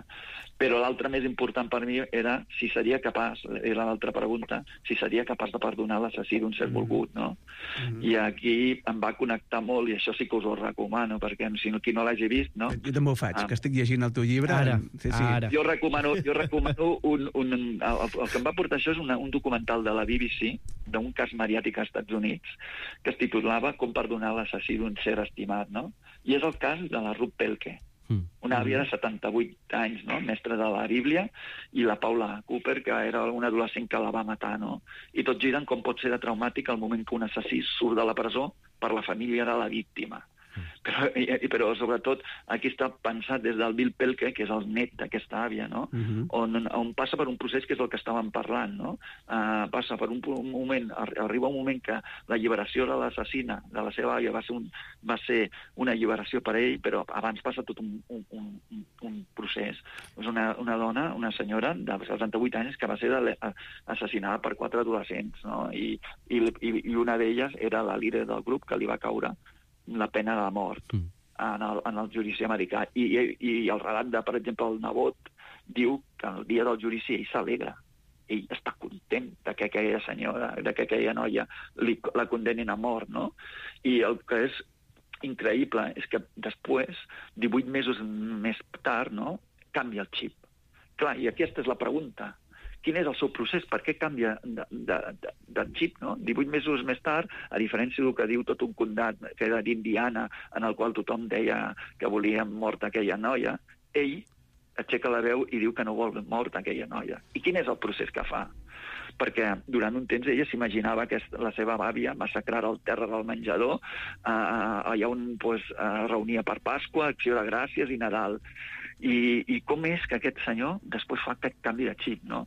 Speaker 11: Però l'altre més important per mi era si seria capaç, era l'altra pregunta, si seria capaç de perdonar l'assassí d'un ser volgut, no? Mm-hmm. I aquí em va connectar molt, i això sí que us ho recomano, perquè si no, qui no l'hagi vist, no?
Speaker 10: Jo també ho faig, ah. que estic llegint el teu llibre.
Speaker 9: Ara,
Speaker 10: sí, sí.
Speaker 9: ara.
Speaker 11: Jo recomano, jo recomano un, un, el, el que em va portar això és una, un documental de la B B C, d'un cas mediàtic als Estats Units, que es titulava Com perdonar l'assassí d'un ser estimat, no? I és el cas de la Ruth Pelke, una àvia de setanta-vuit anys, no? Mestra de la Bíblia, i la Paula Cooper, que era una adolescent que la va matar, no? I tot gira en com pot ser de traumàtic el moment que un assassí surt de la presó per la família de la víctima. Però, i, però sobretot aquí està pensat des del Bill Pelke, que és el net d'aquesta àvia, no? Uh-huh. on, on passa per un procés que és el que estàvem parlant, no? Uh, passa per un, un moment, arriba un moment que l'alliberació de l'assassina, de la seva àvia, va ser, un, va ser una alliberació per ell, però abans passa tot un, un, un, un procés. És una, una dona, una senyora de setanta-vuit anys que va ser de, assassinada per quatre adolescents, no? I, i, i una d'elles era la líder del grup que li va caure la pena de mort mm. en, el, en el judici americà. I, i, I el relat de, per exemple, el nebot diu que el dia del judici ell s'alegra. Ell està content de que aquella senyora, de que aquella noia li, la condenin a mort, no? I el que és increïble és que després, divuit mesos més tard, no?, canvia el xip. Clar, i aquesta és la pregunta. Quin és el seu procés? Per què canvia de, de, de, de xip, no? divuit mesos més tard, a diferència del que diu tot un condat que era d'Indiana, en el qual tothom deia que volia mort aquella noia, ell aixeca la veu i diu que no vol mort aquella noia. I quin és el procés que fa? Perquè durant un temps ella s'imaginava que la seva àvia massacrara al terra del menjador, eh, allà on pues, eh, reunia per Pasqua, Acció de Gràcies i Nadal. I, I com és que aquest senyor després fa aquest canvi de xip, no?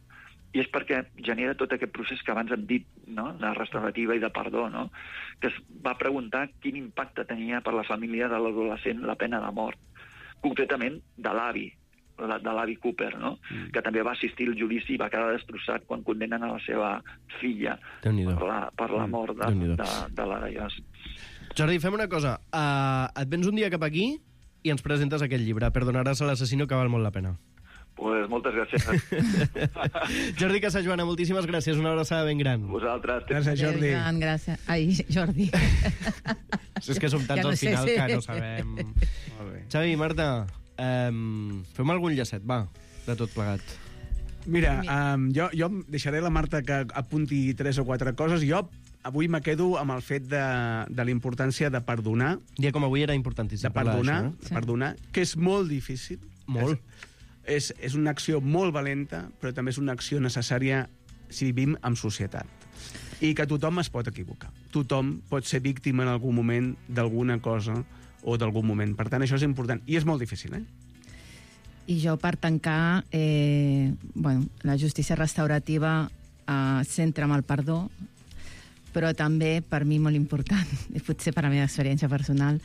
Speaker 11: I és perquè genera tot aquest procés que abans hem dit, no?, de restaurativa i de perdó, no?, que es va preguntar quin impacte tenia per la família de l'adolescent la pena de mort, concretament de l'avi, de l'avi Cooper, no?, mm. que també va assistir al judici i va quedar destrossat quan condenen a la seva filla per la, per la mort de, de, de, de l'Araiós.
Speaker 9: Jordi, fem una cosa. Uh, et vens un dia cap aquí i ens presentes aquest llibre, Perdonaràs a l'assassino, que val molt la pena.
Speaker 11: Pues moltes gràcies.
Speaker 9: Jordi Casajoana, moltíssimes gràcies. Una abraçada ben gran.
Speaker 11: Vosaltres.
Speaker 10: Gràcies, Jordi.
Speaker 12: Gran, gràcies. Ai, Jordi.
Speaker 9: És que som tants ja no al final sé, sí. que no sabem. Molt bé. Xavi, Marta, um, fem algun llacet, va, de tot plegat.
Speaker 10: Mira, um, jo, jo deixaré la Marta que apunti tres o quatre coses. Jo avui me quedo amb el fet de, de la importància de perdonar.
Speaker 9: Dia com avui era importantíssim.
Speaker 10: De perdonar,
Speaker 9: això, eh?
Speaker 10: sí. perdonar, que és molt difícil.
Speaker 9: Molt.
Speaker 10: És, És, és una acció molt valenta, però també és una acció necessària si vivim en societat. I que tothom es pot equivocar. Tothom pot ser víctima en algun moment d'alguna cosa o d'algun moment. Per tant, això és important. I és molt difícil, eh?
Speaker 12: I jo, per tancar, eh, bueno, la justícia restaurativa eh, centra amb el perdó, però també, per mi, molt important, i potser per la meva experiència personal,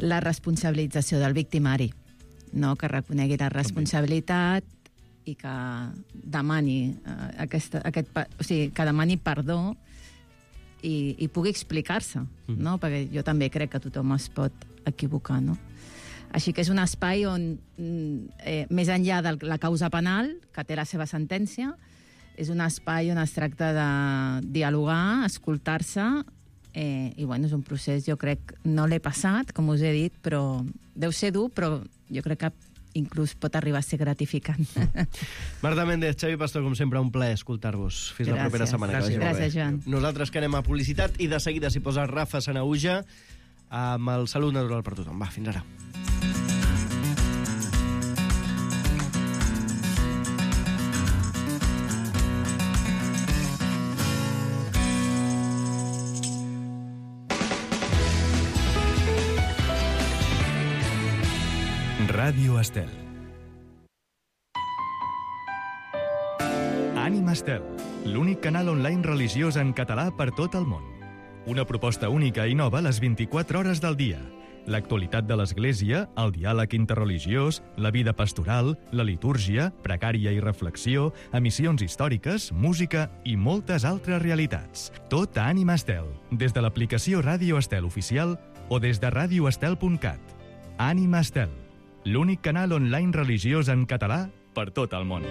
Speaker 12: la responsabilització del victimari. No, que reconegui la responsabilitat i que demani uh, aquesta, aquest, o sigui, que demani perdó i, i pugui explicar-se, mm. no? Perquè jo també crec que tothom es pot equivocar, no? Així que és un espai on, eh, més enllà de la causa penal, que té la seva sentència, és un espai on es tracta de dialogar, escoltar-se, eh, i bueno, és un procés, jo crec, no l'he passat, com us he dit, però deu ser dur, però jo crec que inclús pot arribar a ser gratificant.
Speaker 9: Marta Méndez, Xavi Pastor, com sempre, un plaer escoltar-vos. Fins Gràcies. La propera setmana.
Speaker 12: Gràcies, Gràcies Joan.
Speaker 9: Nosaltres que anem a publicitat i de seguida s'hi posa Rafa Sanauja amb el Salut Natural per tothom. Va, fins ara.
Speaker 4: Ràdio Estel. Ànima Estel, l'únic canal online religiós en català per tot el món. Una proposta única i nova les vint-i-quatre hores del dia. L'actualitat de l'Església, el diàleg interreligiós, la vida pastoral, la litúrgia, pregària i reflexió, emissions històriques, música i moltes altres realitats. Tot a Ànima Estel, des de l'aplicació Ràdio Estel Oficial o des de ràdio estel punt cat. Ànima Estel, l'únic canal online religiós en català per tot el món.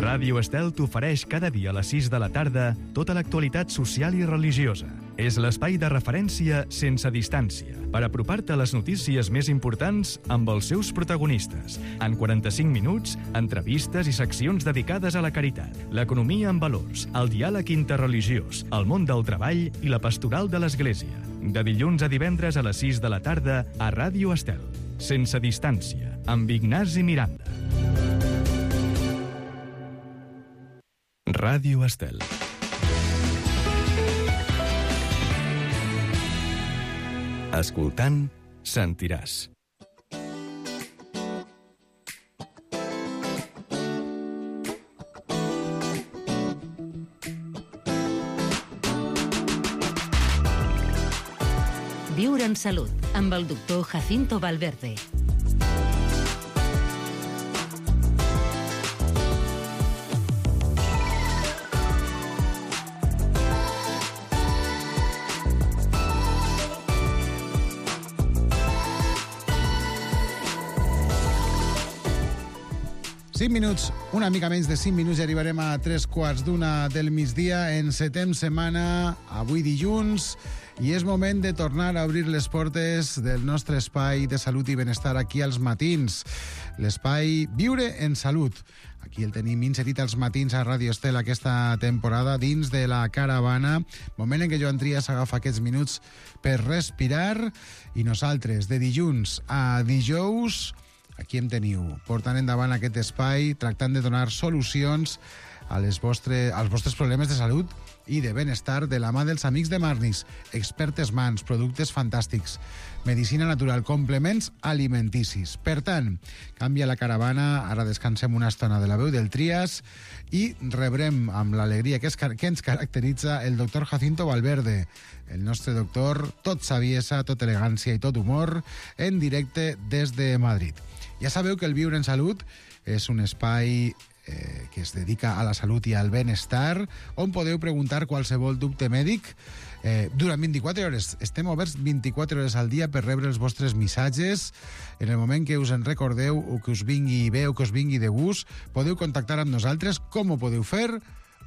Speaker 4: Ràdio Estel t'ofereix cada dia a les sis de la tarda tota l'actualitat social i religiosa. És l'espai de referència sense distància per apropar-te a les notícies més importants amb els seus protagonistes. En quaranta-cinc minuts, entrevistes i seccions dedicades a la caritat, l'economia en valors, el diàleg interreligiós, el món del treball i la pastoral de l'Església. De dilluns a divendres a les sis de la tarda a Ràdio Estel. Sense distància, amb Ignasi Miranda. Ràdio Estel. Escoltant, sentiràs.
Speaker 8: Viure en salut, amb el doctor Jacinto Valverde.
Speaker 13: cinc minuts, una mica menys de cinc minuts i arribarem a tres quarts d'una del migdia. Encetem setmana, avui dilluns, i és moment de tornar a obrir les portes del nostre espai de salut i benestar aquí als matins. L'espai Viure en Salut. Aquí el tenim inserit als matins a Ràdio Estel aquesta temporada dins de la caravana. Moment en què Joan Trias agafa aquests minuts per respirar i nosaltres de dilluns a dijous aquí em teniu, portant endavant aquest espai, tractant de donar solucions a les vostre, als vostres problemes de salut i de benestar de la mà dels amics de Marnis, expertes mans, productes fantàstics, medicina natural, complements alimenticis. Per tant, canvia la caravana, ara descansem una estona de la veu del Trias i rebrem amb l'alegria que, es, que ens caracteritza el doctor Jacinto Valverde, el nostre doctor, tot saviesa, tot elegància i tot humor, en directe des de Madrid. Ja sabeu que el Viure en Salut és un espai eh, que es dedica a la salut i al benestar, on podeu preguntar qualsevol dubte mèdic eh, durant vint-i-quatre hores. Estem oberts vint-i-quatre hores al dia per rebre els vostres missatges. En el moment que us en recordeu o que us vingui bé o que us vingui de gust, podeu contactar amb nosaltres. Com ho podeu fer?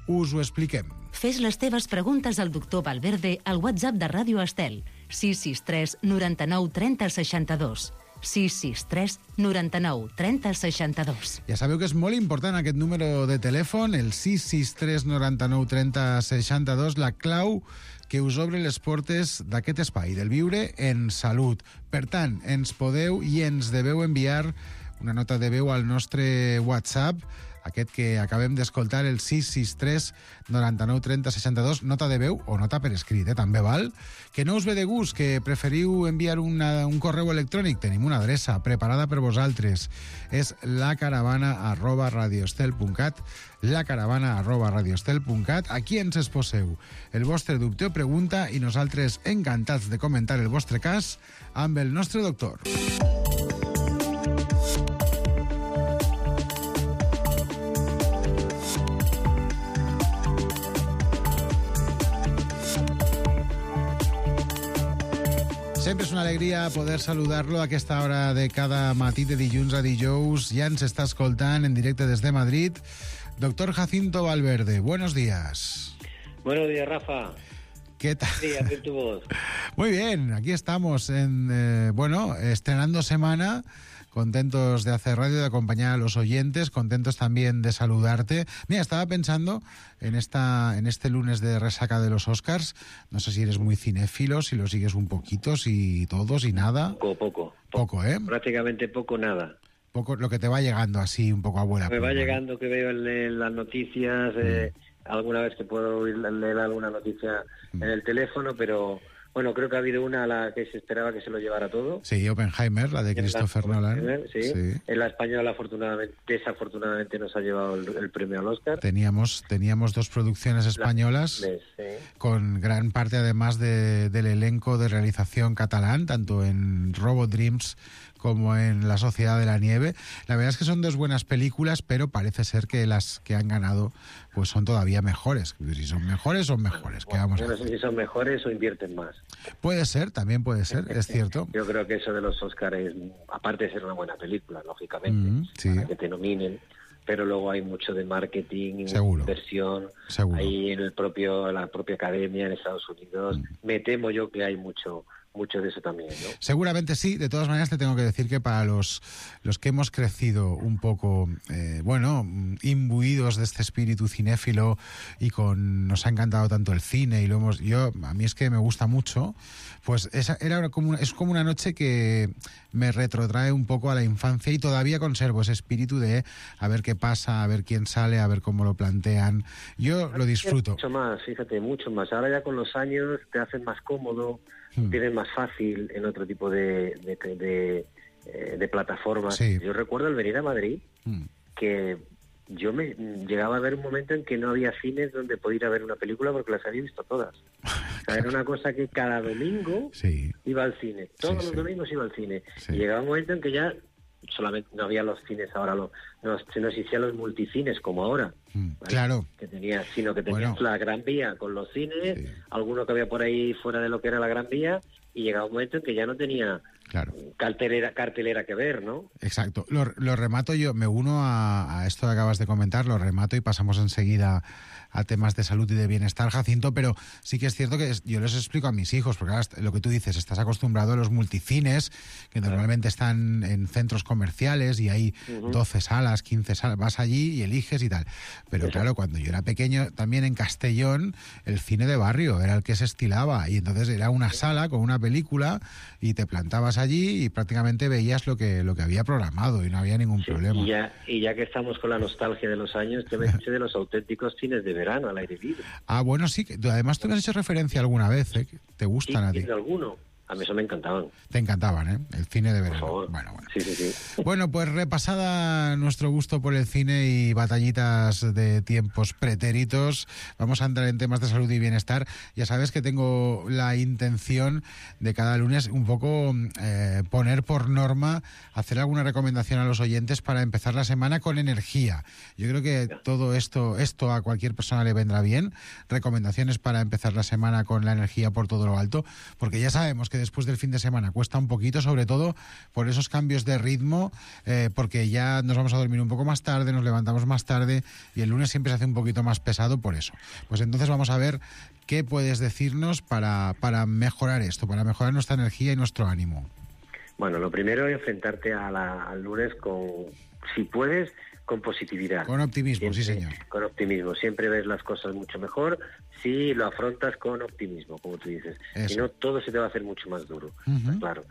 Speaker 13: Us ho expliquem.
Speaker 8: Fes les teves preguntes al doctor Valverde al WhatsApp de Ràdio Estel, sis sis tres noranta-nou trenta seixanta-dos. sis sis tres noranta-nou trenta seixanta-dos.
Speaker 13: Ja sabeu que és molt important aquest número de telèfon, el sis sis tres noranta-nou trenta seixanta-dos, la clau que us obre les portes d'aquest espai, del Viure en Salut. Per tant, ens podeu i ens deveu enviar una nota de veu al nostre WhatsApp, aquest que acabem d'escoltar, el sis sis tres noranta-nou trenta seixanta-dos, nota de veu o nota per escrit, eh, també val. Que no us ve de gust, que preferiu enviar una, un correu electrònic, tenim una adreça preparada per vosaltres. És lacaravana arroba radioestel punt cat, lacaravana arroba radioestel punt cat. Aquí ens exposeu el vostre dubte o pregunta i nosaltres encantats de comentar el vostre cas amb el nostre doctor. Sempre és una alegria poder saludar-lo a aquesta hora de cada matí de dilluns a dijous. Ja ens està escoltant en directe des de Madrid. Doctor Jacinto Valverde, buenos días.
Speaker 14: Buenos días, Rafa.
Speaker 13: ¿Qué tal?
Speaker 14: Sí, a ver tu voz.
Speaker 13: Muy bien, aquí estamos, en, eh, bueno, estrenando semana. Contentos de hacer radio, de acompañar a los oyentes, contentos también de saludarte. Mira, estaba pensando en esta en este lunes de resaca de los Oscars, no sé si eres muy cinéfilo, si lo sigues un poquito, si todo, si nada.
Speaker 14: Poco, poco.
Speaker 13: Poco, ¿eh?
Speaker 14: Prácticamente poco, nada.
Speaker 13: Poco, lo que te va llegando así, un poco abuela.
Speaker 14: Me va llegando, que veo en las noticias, mm. eh, alguna vez que puedo oír, leer alguna noticia mm. en el teléfono, pero Bueno, creo que ha habido una a la que se esperaba que se lo llevara todo.
Speaker 13: Sí, Oppenheimer, la de Christopher Nolan.
Speaker 14: Sí.
Speaker 13: Sí.
Speaker 14: En la española, afortunadamente, desafortunadamente, nos ha llevado el, el premio al Oscar.
Speaker 13: Teníamos, teníamos dos producciones españolas
Speaker 14: La, sí.
Speaker 13: con gran parte, además, de, del elenco de realización catalán, tanto en Robot Dreams como en La Sociedad de la Nieve. La verdad es que son dos buenas películas, pero parece ser que las que han ganado pues son todavía mejores. Si son mejores, son mejores. ¿Qué vamos a
Speaker 14: Yo no sé si son mejores o invierten más.
Speaker 13: Puede ser, también puede ser, es cierto.
Speaker 14: Yo creo que eso de los Oscars es, aparte de ser una buena película, lógicamente,
Speaker 13: Mm, sí.
Speaker 14: para que te nominen, pero luego hay mucho de marketing,
Speaker 13: Seguro.
Speaker 14: inversión,
Speaker 13: Seguro.
Speaker 14: ahí en el propio, la propia academia en Estados Unidos.
Speaker 13: Mm.
Speaker 14: Me temo yo que hay mucho mucho de eso también, ¿no?
Speaker 13: Seguramente sí. De todas maneras, te tengo que decir que para los, los que hemos crecido un poco, eh, bueno, imbuidos de este espíritu cinéfilo y con nos ha encantado tanto el cine y lo hemos, yo a mí es que me gusta mucho, pues esa era como una, es como una noche que me retrotrae un poco a la infancia y todavía conservo ese espíritu de a ver qué pasa, a ver quién sale, a ver cómo lo plantean. Yo lo disfruto.
Speaker 14: Mucho más, fíjate, mucho más. Ahora ya con los años te hacen más cómodo,
Speaker 13: Hmm.
Speaker 14: tienes más fácil en otro tipo de, de, de, de, eh, de plataformas.
Speaker 13: Sí.
Speaker 14: Yo recuerdo al venir a Madrid
Speaker 13: Mm.
Speaker 14: que yo me llegaba a ver un momento en que no había cines donde podía ir a ver una película porque las había visto todas. O sea, era una cosa que cada domingo
Speaker 13: Sí.
Speaker 14: iba al cine. Todos
Speaker 13: Sí,
Speaker 14: los
Speaker 13: sí.
Speaker 14: domingos iba al cine.
Speaker 13: Sí.
Speaker 14: Y llegaba un momento en que ya solamente no había los cines ahora, lo, no, no existían los multicines como ahora.
Speaker 13: Mm.
Speaker 14: ¿vale?
Speaker 13: Claro.
Speaker 14: Que tenía, sino que tenías
Speaker 13: Bueno.
Speaker 14: la Gran Vía con los cines, alguno que había por ahí fuera de lo que era la Gran Vía, y llegaba un momento en que ya no tenía
Speaker 13: Claro.
Speaker 14: cartelera, cartelera que ver, ¿no?
Speaker 13: Exacto. Lo, lo remato yo, me uno a, a esto que acabas de comentar, lo remato y pasamos enseguida a temas de salud y de bienestar, Jacinto, pero sí que es cierto que es- yo les explico a mis hijos, porque ahora lo que tú dices, estás acostumbrado a los multicines, que normalmente están en centros comerciales y hay
Speaker 14: Ujú.
Speaker 13: doce salas, quince salas, vas allí y eliges y tal. Pero claro, cuando yo era pequeño, también en Castellón, el cine de barrio era el que se estilaba, y entonces era una sala con una película y te plantabas allí y prácticamente veías lo que, lo que había programado y no había ningún problema.
Speaker 14: Y ya, y ya que estamos con la nostalgia de los años, te me dice de los auténticos cines de verano al aire libre.
Speaker 13: Ah, bueno, sí, que tú- además tú me has hecho referencia alguna vez, ¿eh? Que ¿Te gustan a ti?
Speaker 14: ¿Tienes alguno? A mí eso me encantaban.
Speaker 13: Te encantaban, ¿eh? El cine de verano.
Speaker 14: Por favor.
Speaker 13: Bueno, bueno.
Speaker 14: Sí, sí, sí.
Speaker 13: Bueno, pues repasada nuestro gusto por el cine y batallitas de tiempos pretéritos, vamos a entrar en temas de salud y bienestar. Ya sabes que tengo la intención de cada lunes un poco eh, poner por norma, hacer alguna recomendación a los oyentes para empezar la semana con energía. Yo creo que todo esto, esto a cualquier persona le vendrá bien. Recomendaciones para empezar la semana con la energía por todo lo alto, porque ya sabemos que después del fin de semana cuesta un poquito, sobre todo por esos cambios de ritmo, eh, porque ya nos vamos a dormir un poco más tarde, nos levantamos más tarde y el lunes siempre se hace un poquito más pesado por eso. Pues entonces vamos a ver qué puedes decirnos para, para mejorar esto, para mejorar nuestra energía y nuestro ánimo.
Speaker 14: Bueno, lo primero es enfrentarte a la- al lunes con, si puedes, con positividad.
Speaker 13: Con optimismo, sí señor.
Speaker 14: Con optimismo. Siempre ves las cosas mucho mejor si lo afrontas con optimismo, como tú dices.
Speaker 13: Eso.
Speaker 14: Si no, todo se te va a hacer mucho más duro.
Speaker 13: Ujú.
Speaker 14: Está claro.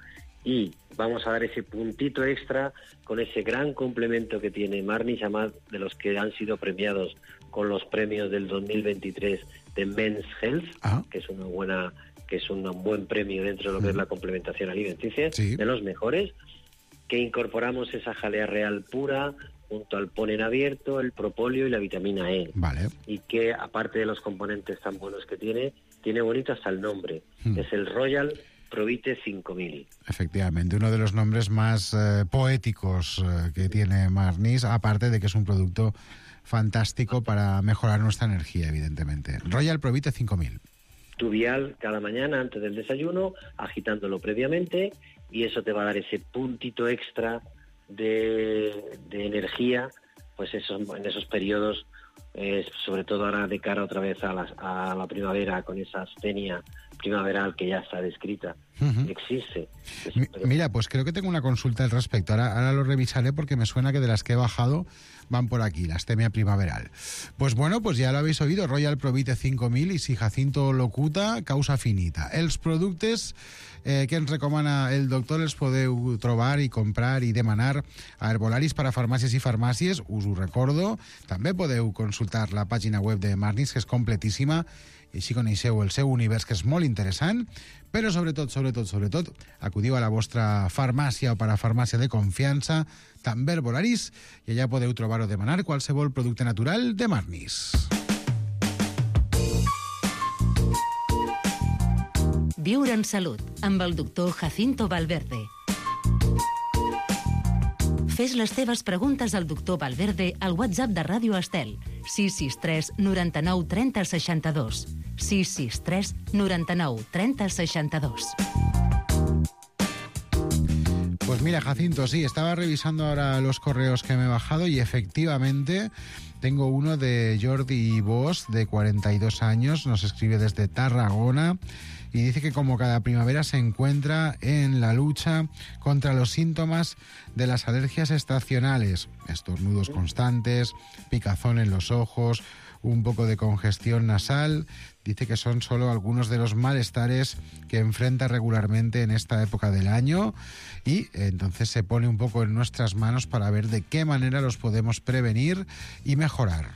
Speaker 14: Y vamos a dar ese puntito extra con ese gran complemento que tiene Marnis, además de los que han sido premiados con los premios del dos mil veintitrés de Men's Health,
Speaker 13: Ah.
Speaker 14: que es una buena, que es un buen premio dentro de lo que es la complementación alimenticia, de los mejores, que incorporamos esa jalea real pura junto al polen abierto, el propóleo y la vitamina E.
Speaker 13: Vale.
Speaker 14: Y que, aparte de los componentes tan buenos que tiene, tiene bonito hasta el nombre.
Speaker 13: Hmm.
Speaker 14: Es el Royal Provite cinco mil.
Speaker 13: Efectivamente, uno de los nombres más eh, poéticos eh, que tiene Marnis, aparte de que es un producto fantástico para mejorar nuestra energía, evidentemente. Royal Provite cinco mil.
Speaker 14: Tu vial cada mañana antes del desayuno, agitándolo previamente, y eso te va a dar ese puntito extra de, de energía, pues eso, en esos periodos, eh, sobre todo ahora de cara otra vez a la, a la primavera, con esa astenia primaveral que ya está descrita,
Speaker 13: Ujú.
Speaker 14: existe.
Speaker 13: Mi- Mira, pues creo que tengo una consulta al respecto. Ahora, ahora lo revisaré porque me suena que de las que he bajado van por aquí, la astemia primaveral. Pues bueno, pues ja l'habéis oído, Royal Provite cinc mil i si Jacinto locuta, causa finita. Els productes eh, que ens recomana el doctor els podeu trobar i comprar i demanar a herbolaris per a farmàcies i farmàcies, us ho recordo. També podeu consultar la pàgina web de Marnis, que és completíssima, i així coneixeu el seu univers, que és molt interessant, però sobretot, sobretot, sobretot, acudiu a la vostra farmàcia o parafarmàcia de confiança, també Herbolaris, i allà podeu trobar o demanar qualsevol producte natural de Marnis.
Speaker 8: Viure en salut, amb el doctor Jacinto Valverde. Fes les teves preguntes al doctor Valverde al WhatsApp de Ràdio Estel, sis sis tres noranta-nou trenta seixanta-dos. sis sis tres noranta-nou trenta seixanta-dos.
Speaker 13: Pues mira, Jacinto, sí, estaba revisando ahora los correos que me he bajado y efectivamente tengo uno de Jordi Bosch, de cuarenta y dos años, nos escribe desde Tarragona y dice que como cada primavera se encuentra en la lucha contra los síntomas de las alergias estacionales, estornudos constantes, picazón en los ojos, un poco de congestión nasal. Dice que son solo algunos de los malestares que enfrenta regularmente en esta época del año y entonces se pone un poco en nuestras manos para ver de qué manera los podemos prevenir y mejorar.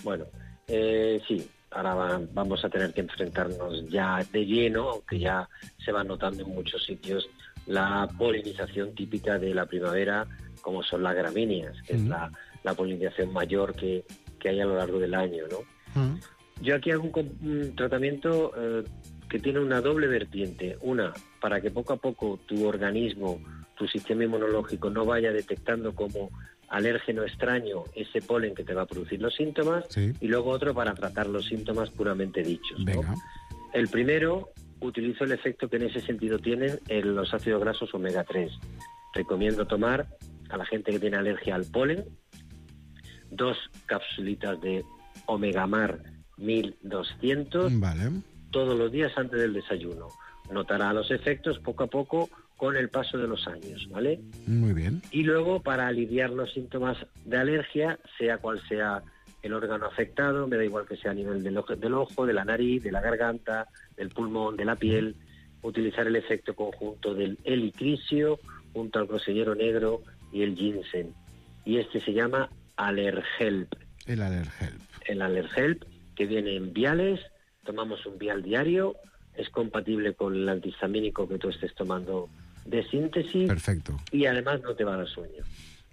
Speaker 14: Bueno, eh, sí, ahora va, vamos a tener que enfrentarnos ya de lleno, aunque ya se va notando en muchos sitios, la polinización típica de la primavera, como son las gramíneas, que mm. es la, la polinización mayor que, que hay a lo largo del año, ¿no? Mm. Yo aquí hago un, un tratamiento eh, que tiene una doble vertiente. Una, para que poco a poco tu organismo, tu sistema inmunológico no vaya detectando como alérgeno extraño ese polen que te va a producir los síntomas, sí. Y luego otro para tratar los síntomas puramente dichos, ¿no? El primero, utilizo el efecto que en ese sentido tienen en los ácidos grasos omega tres. Recomiendo tomar a la gente que tiene alergia al polen dos capsulitas de Omegamar mil doscientos vale. Todos los días antes del desayuno. Notará los efectos poco a poco con el paso de los años, ¿vale?
Speaker 13: Muy bien.
Speaker 14: Y luego, para aliviar los síntomas de alergia, sea cual sea el órgano afectado, me da igual que sea a nivel del ojo, del ojo, de la nariz, de la garganta, del pulmón, de la piel, utilizar el efecto conjunto del helicrisio junto al grosellero negro y el ginseng. Y este se llama Allerhelp.
Speaker 13: El Allerhelp.
Speaker 14: El Allerhelp, que viene en viales, tomamos un vial diario, es compatible con el antihistamínico que tú estés tomando de síntesis.
Speaker 13: Perfecto.
Speaker 14: Y además no te va a dar sueño.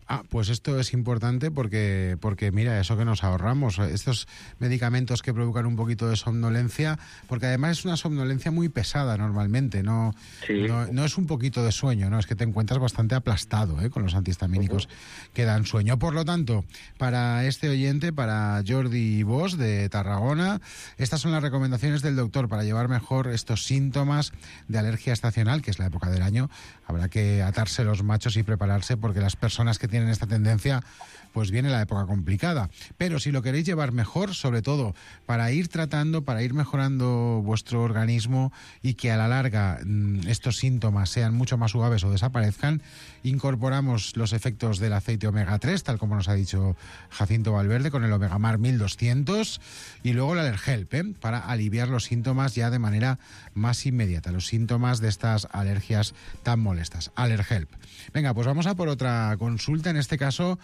Speaker 13: Ah, pues esto es importante porque, porque mira, eso que nos ahorramos, estos medicamentos que provocan un poquito de somnolencia, porque además es una somnolencia muy pesada normalmente, no, sí. no, no es un poquito de sueño, no, es que te encuentras bastante aplastado, ¿eh? Con los antihistamínicos uh-huh. que dan sueño. Por lo tanto, para este oyente, para Jordi Bosch de Tarragona, estas son las recomendaciones del doctor para llevar mejor estos síntomas de alergia estacional, que es la época del año. Habrá que atarse los machos y prepararse porque las personas que tienen esta tendencia, pues viene la época complicada. Pero si lo queréis llevar mejor, sobre todo para ir tratando, para ir mejorando vuestro organismo y que a la larga mmm, estos síntomas sean mucho más suaves o desaparezcan, incorporamos los efectos del aceite omega tres, tal como nos ha dicho Jacinto Valverde, con el Omegamar mil doscientos, y luego el Allerhelp, ¿eh? Para aliviar los síntomas ya de manera más inmediata, los síntomas de estas alergias tan molestas. Allerhelp. Venga, pues vamos a por otra consulta. En este caso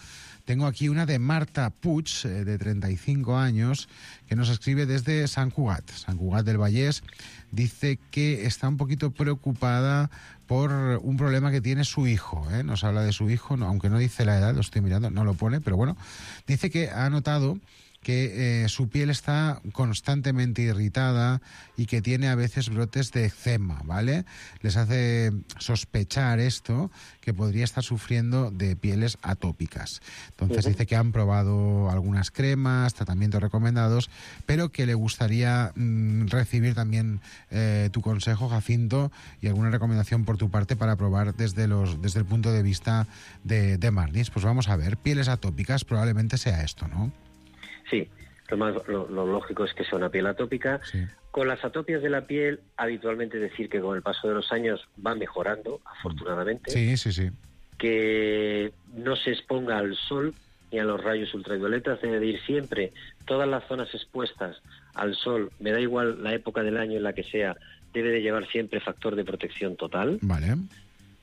Speaker 13: tengo aquí una de Marta Puig, eh, de treinta y cinco años, que nos escribe desde Sant Cugat, Sant Cugat del Vallès. Dice que está un poquito preocupada por un problema que tiene su hijo, ¿eh? Nos habla de su hijo, no, aunque no dice la edad, lo estoy mirando, no lo pone, pero bueno, dice que ha notado que eh, su piel está constantemente irritada y que tiene a veces brotes de eczema, ¿vale? Les hace sospechar esto, que podría estar sufriendo de pieles atópicas. Entonces uh-huh. dice que han probado algunas cremas, tratamientos recomendados, pero que le gustaría mmm, recibir también eh, tu consejo, Jacinto, y alguna recomendación por tu parte para probar desde, los, desde el punto de vista de, de Marnis. Pues vamos a ver, pieles atópicas probablemente sea esto, ¿no?
Speaker 14: Sí, lo, más, lo, lo lógico es que sea una piel atópica. Sí. Con las atopias de la piel, habitualmente decir que con el paso de los años va mejorando, afortunadamente.
Speaker 13: Sí, sí, sí.
Speaker 14: Que no se exponga al sol ni a los rayos ultravioletas, debe de ir siempre. Todas las zonas expuestas al sol, me da igual la época del año en la que sea, debe de llevar siempre factor de protección total.
Speaker 13: Vale.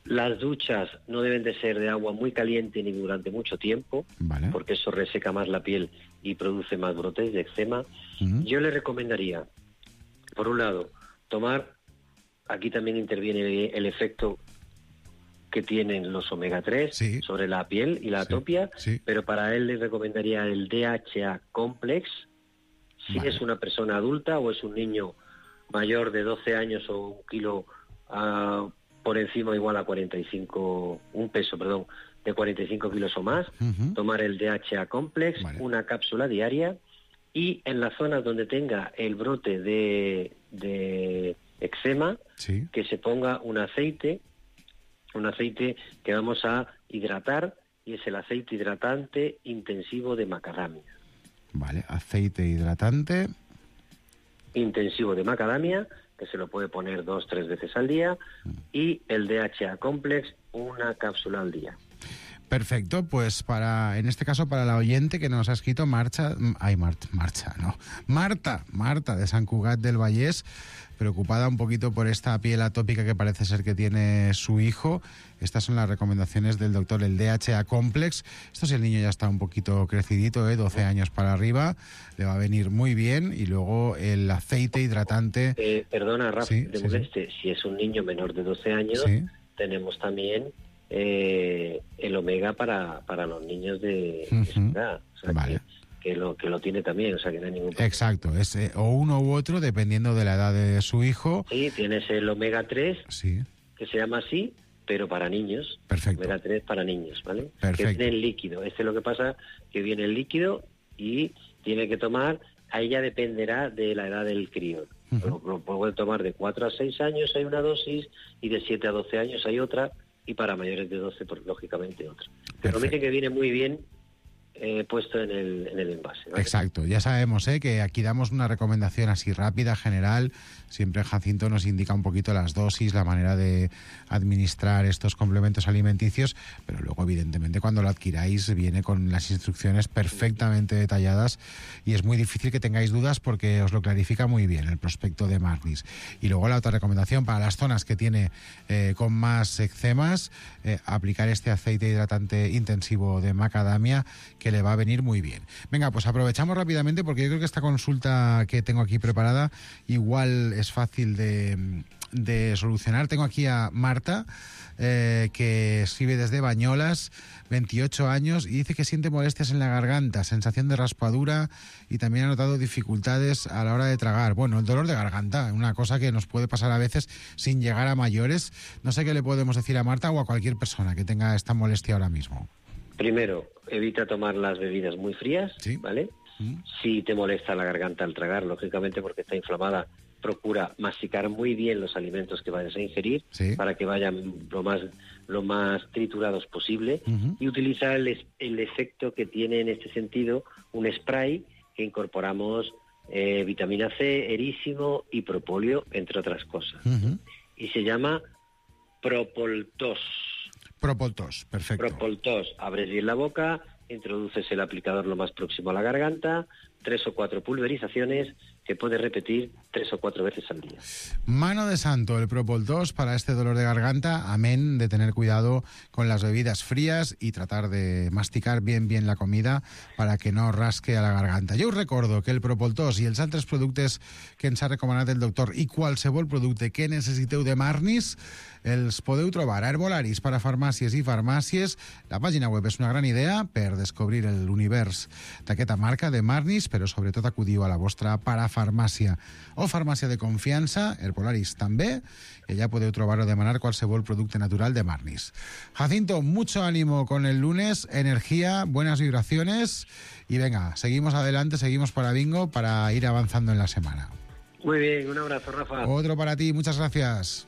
Speaker 14: Las duchas no deben de ser de agua muy caliente ni durante mucho tiempo,
Speaker 13: vale.
Speaker 14: porque eso reseca más la piel y produce más brotes de eczema.
Speaker 13: Uh-huh.
Speaker 14: Yo le recomendaría, por un lado, tomar, aquí también interviene el efecto que tienen los omega tres sí. sobre la piel y la sí. atopia, sí. pero para él le recomendaría el D H A Complex, si vale. es una persona adulta o es un niño mayor de doce años o un kilo uh, por encima igual a cuarenta y cinco, un peso, perdón, de cuarenta y cinco kilos o más, uh-huh. tomar el D H A Complex, vale. una cápsula diaria, y en las zonas donde tenga el brote de, de eczema, sí. que se ponga un aceite, un aceite que vamos a hidratar, y es el aceite hidratante intensivo de macadamia.
Speaker 13: Vale, aceite hidratante
Speaker 14: intensivo de macadamia, que se lo puede poner dos, tres veces al día, y el D H A Complex, una cápsula al día.
Speaker 13: Perfecto, pues para, en este caso para la oyente que nos ha escrito Marcha, ay, Marta, Marcha, no, Marta, Marta de Sant Cugat del Vallès, preocupada un poquito por esta piel atópica que parece ser que tiene su hijo. Estas son las recomendaciones del doctor, el D H A Complex. Esto si el niño ya está un poquito crecidito, ¿eh? doce años para arriba, le va a venir muy bien. Y luego el aceite hidratante...
Speaker 14: Eh, perdona, Rafa,
Speaker 13: sí,
Speaker 14: de
Speaker 13: sí,
Speaker 14: moleste, sí. Si es un niño menor de doce años, sí. tenemos también eh, el omega para, para los niños de, uh-huh. de esa edad. O sea, vale. que, que, lo, que lo tiene también, o sea que no hay ningún problema.
Speaker 13: Exacto, es eh, o uno u otro dependiendo de la edad de su hijo.
Speaker 14: Sí, tienes el omega tres,
Speaker 13: sí.
Speaker 14: que se llama así, pero para niños.
Speaker 13: Perfecto.
Speaker 14: Omega tres para niños, ¿vale?
Speaker 13: Perfecto.
Speaker 14: Que viene en líquido. Este es lo que pasa, que viene en líquido y tiene que tomar, ahí ya dependerá de la edad del crío. Uh-huh. Lo, lo puede tomar de cuatro a seis años, hay una dosis, y de siete a doce años hay otra, y para mayores de doce, pues lógicamente otra. Pero me dice que viene muy bien eh, puesto en el, en el envase, ¿vale?
Speaker 13: Exacto, ya sabemos ¿eh? que aquí damos una recomendación así rápida, general. Siempre Jacinto nos indica un poquito las dosis, la manera de administrar estos complementos alimenticios, pero luego evidentemente cuando lo adquiráis viene con las instrucciones perfectamente detalladas y es muy difícil que tengáis dudas porque os lo clarifica muy bien el prospecto de Marnis. Y luego la otra recomendación para las zonas que tiene eh, con más eczemas, eh, aplicar este aceite hidratante intensivo de macadamia que le va a venir muy bien. Venga, pues aprovechamos rápidamente porque yo creo que esta consulta que tengo aquí preparada igual es fácil de, de solucionar. Tengo aquí a Marta, eh, que escribe desde Bañolas, veintiocho años, y dice que siente molestias en la garganta, sensación de raspadura y también ha notado dificultades a la hora de tragar. Bueno, el dolor de garganta, una cosa que nos puede pasar a veces sin llegar a mayores. No sé qué le podemos decir a Marta o a cualquier persona que tenga esta molestia ahora mismo.
Speaker 14: Primero, evita tomar las bebidas muy frías, ¿sí? ¿Vale? Mm. Si te molesta la garganta al tragar, lógicamente porque está inflamada, procura masticar muy bien los alimentos que vayas a ingerir, ¿sí? Para que vayan lo más lo más triturados posible, uh-huh. y utiliza el, el efecto que tiene en este sentido un spray que incorporamos eh, vitamina C, erísimo y propóleo, entre otras cosas. Uh-huh. Y se llama Propoltos.
Speaker 13: Propoltos, perfecto.
Speaker 14: Propoltos, abres bien la boca, introduces el aplicador lo más próximo a la garganta, tres o cuatro pulverizaciones que puedes repetir tres o cuatro veces al día.
Speaker 13: Mano de santo, el Propoltos para este dolor de garganta, amén de tener cuidado con las bebidas frías y tratar de masticar bien bien la comida para que no rasque a la garganta. Jo us recordo que el Propoltos i els altres productes que ens ha recomanat el doctor i qualsevol producte que necessiteu de Marnis els podeu trobar a Herbolaris per a farmàcies i farmàcies. La pàgina web és una gran idea per descobrir l'univers d'aquesta marca de Marnis, però sobretot acudiu a la vostra parafarmàcia o farmàcia de confiança, Herbolaris també, i allà podeu trobar o demanar qualsevol producte natural de Marnis. Jacinto, mucho ánimo con el lunes, energía, buenas vibraciones y venga, seguimos adelante, seguimos para Bingo para ir avanzando en la semana.
Speaker 14: Muy bien, un abrazo, Rafa.
Speaker 13: Otro para ti, muchas gracias.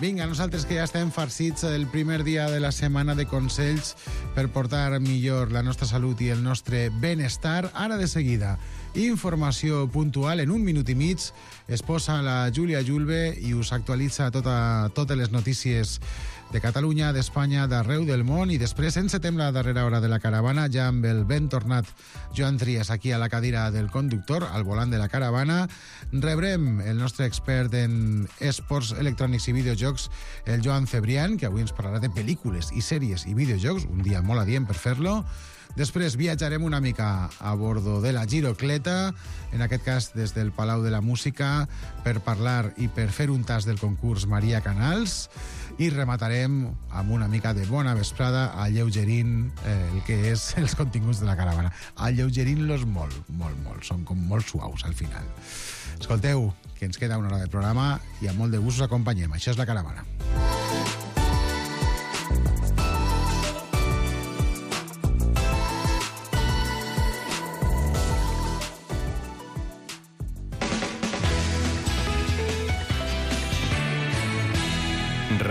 Speaker 13: Vinga, nosaltres que ja estem farcits el primer dia de la setmana de consells per portar millor la nostra salut i el nostre benestar. Ara de seguida informació puntual. En un minut i mig es posa la Júlia Julve i us actualitza tota, totes les notícies de Catalunya, d'Espanya, d'arreu del món, i després encetem la darrera hora de la caravana ja amb el ben tornat Joan Trias aquí a la cadira del conductor, al volant de la caravana. Rebrem el nostre expert en esports electrònics i videojocs, el Joan Cebrián, que avui ens parlarà de pel·lícules i sèries i videojocs, un dia molt adient per fer-lo. Després viatjarem una mica a bordo de la Girocleta, en aquest cas des del Palau de la Música, per parlar i per fer un tas del concurs Maria Canals, i rematarem amb una mica de bona vesprada alleugerint eh, el que és els continguts de la caravana. Alleugerint-los molt, molt, molt. Són com molt suaus al final. Escolteu, que ens queda una hora de programa i amb molt de gust us acompanyem. Això és la caravana.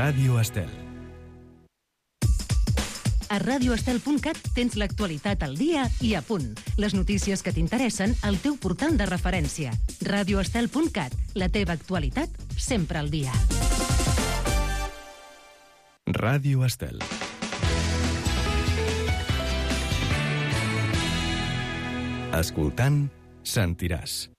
Speaker 4: Ràdio Estel.
Speaker 8: A radio estel punt cat tens l'actualitat al dia i a punt. Les notícies que t'interessen al teu portal de referència. radio estel punt cat, la teva actualitat sempre al dia.
Speaker 4: Ràdio Estel. Escoltant, sentiràs.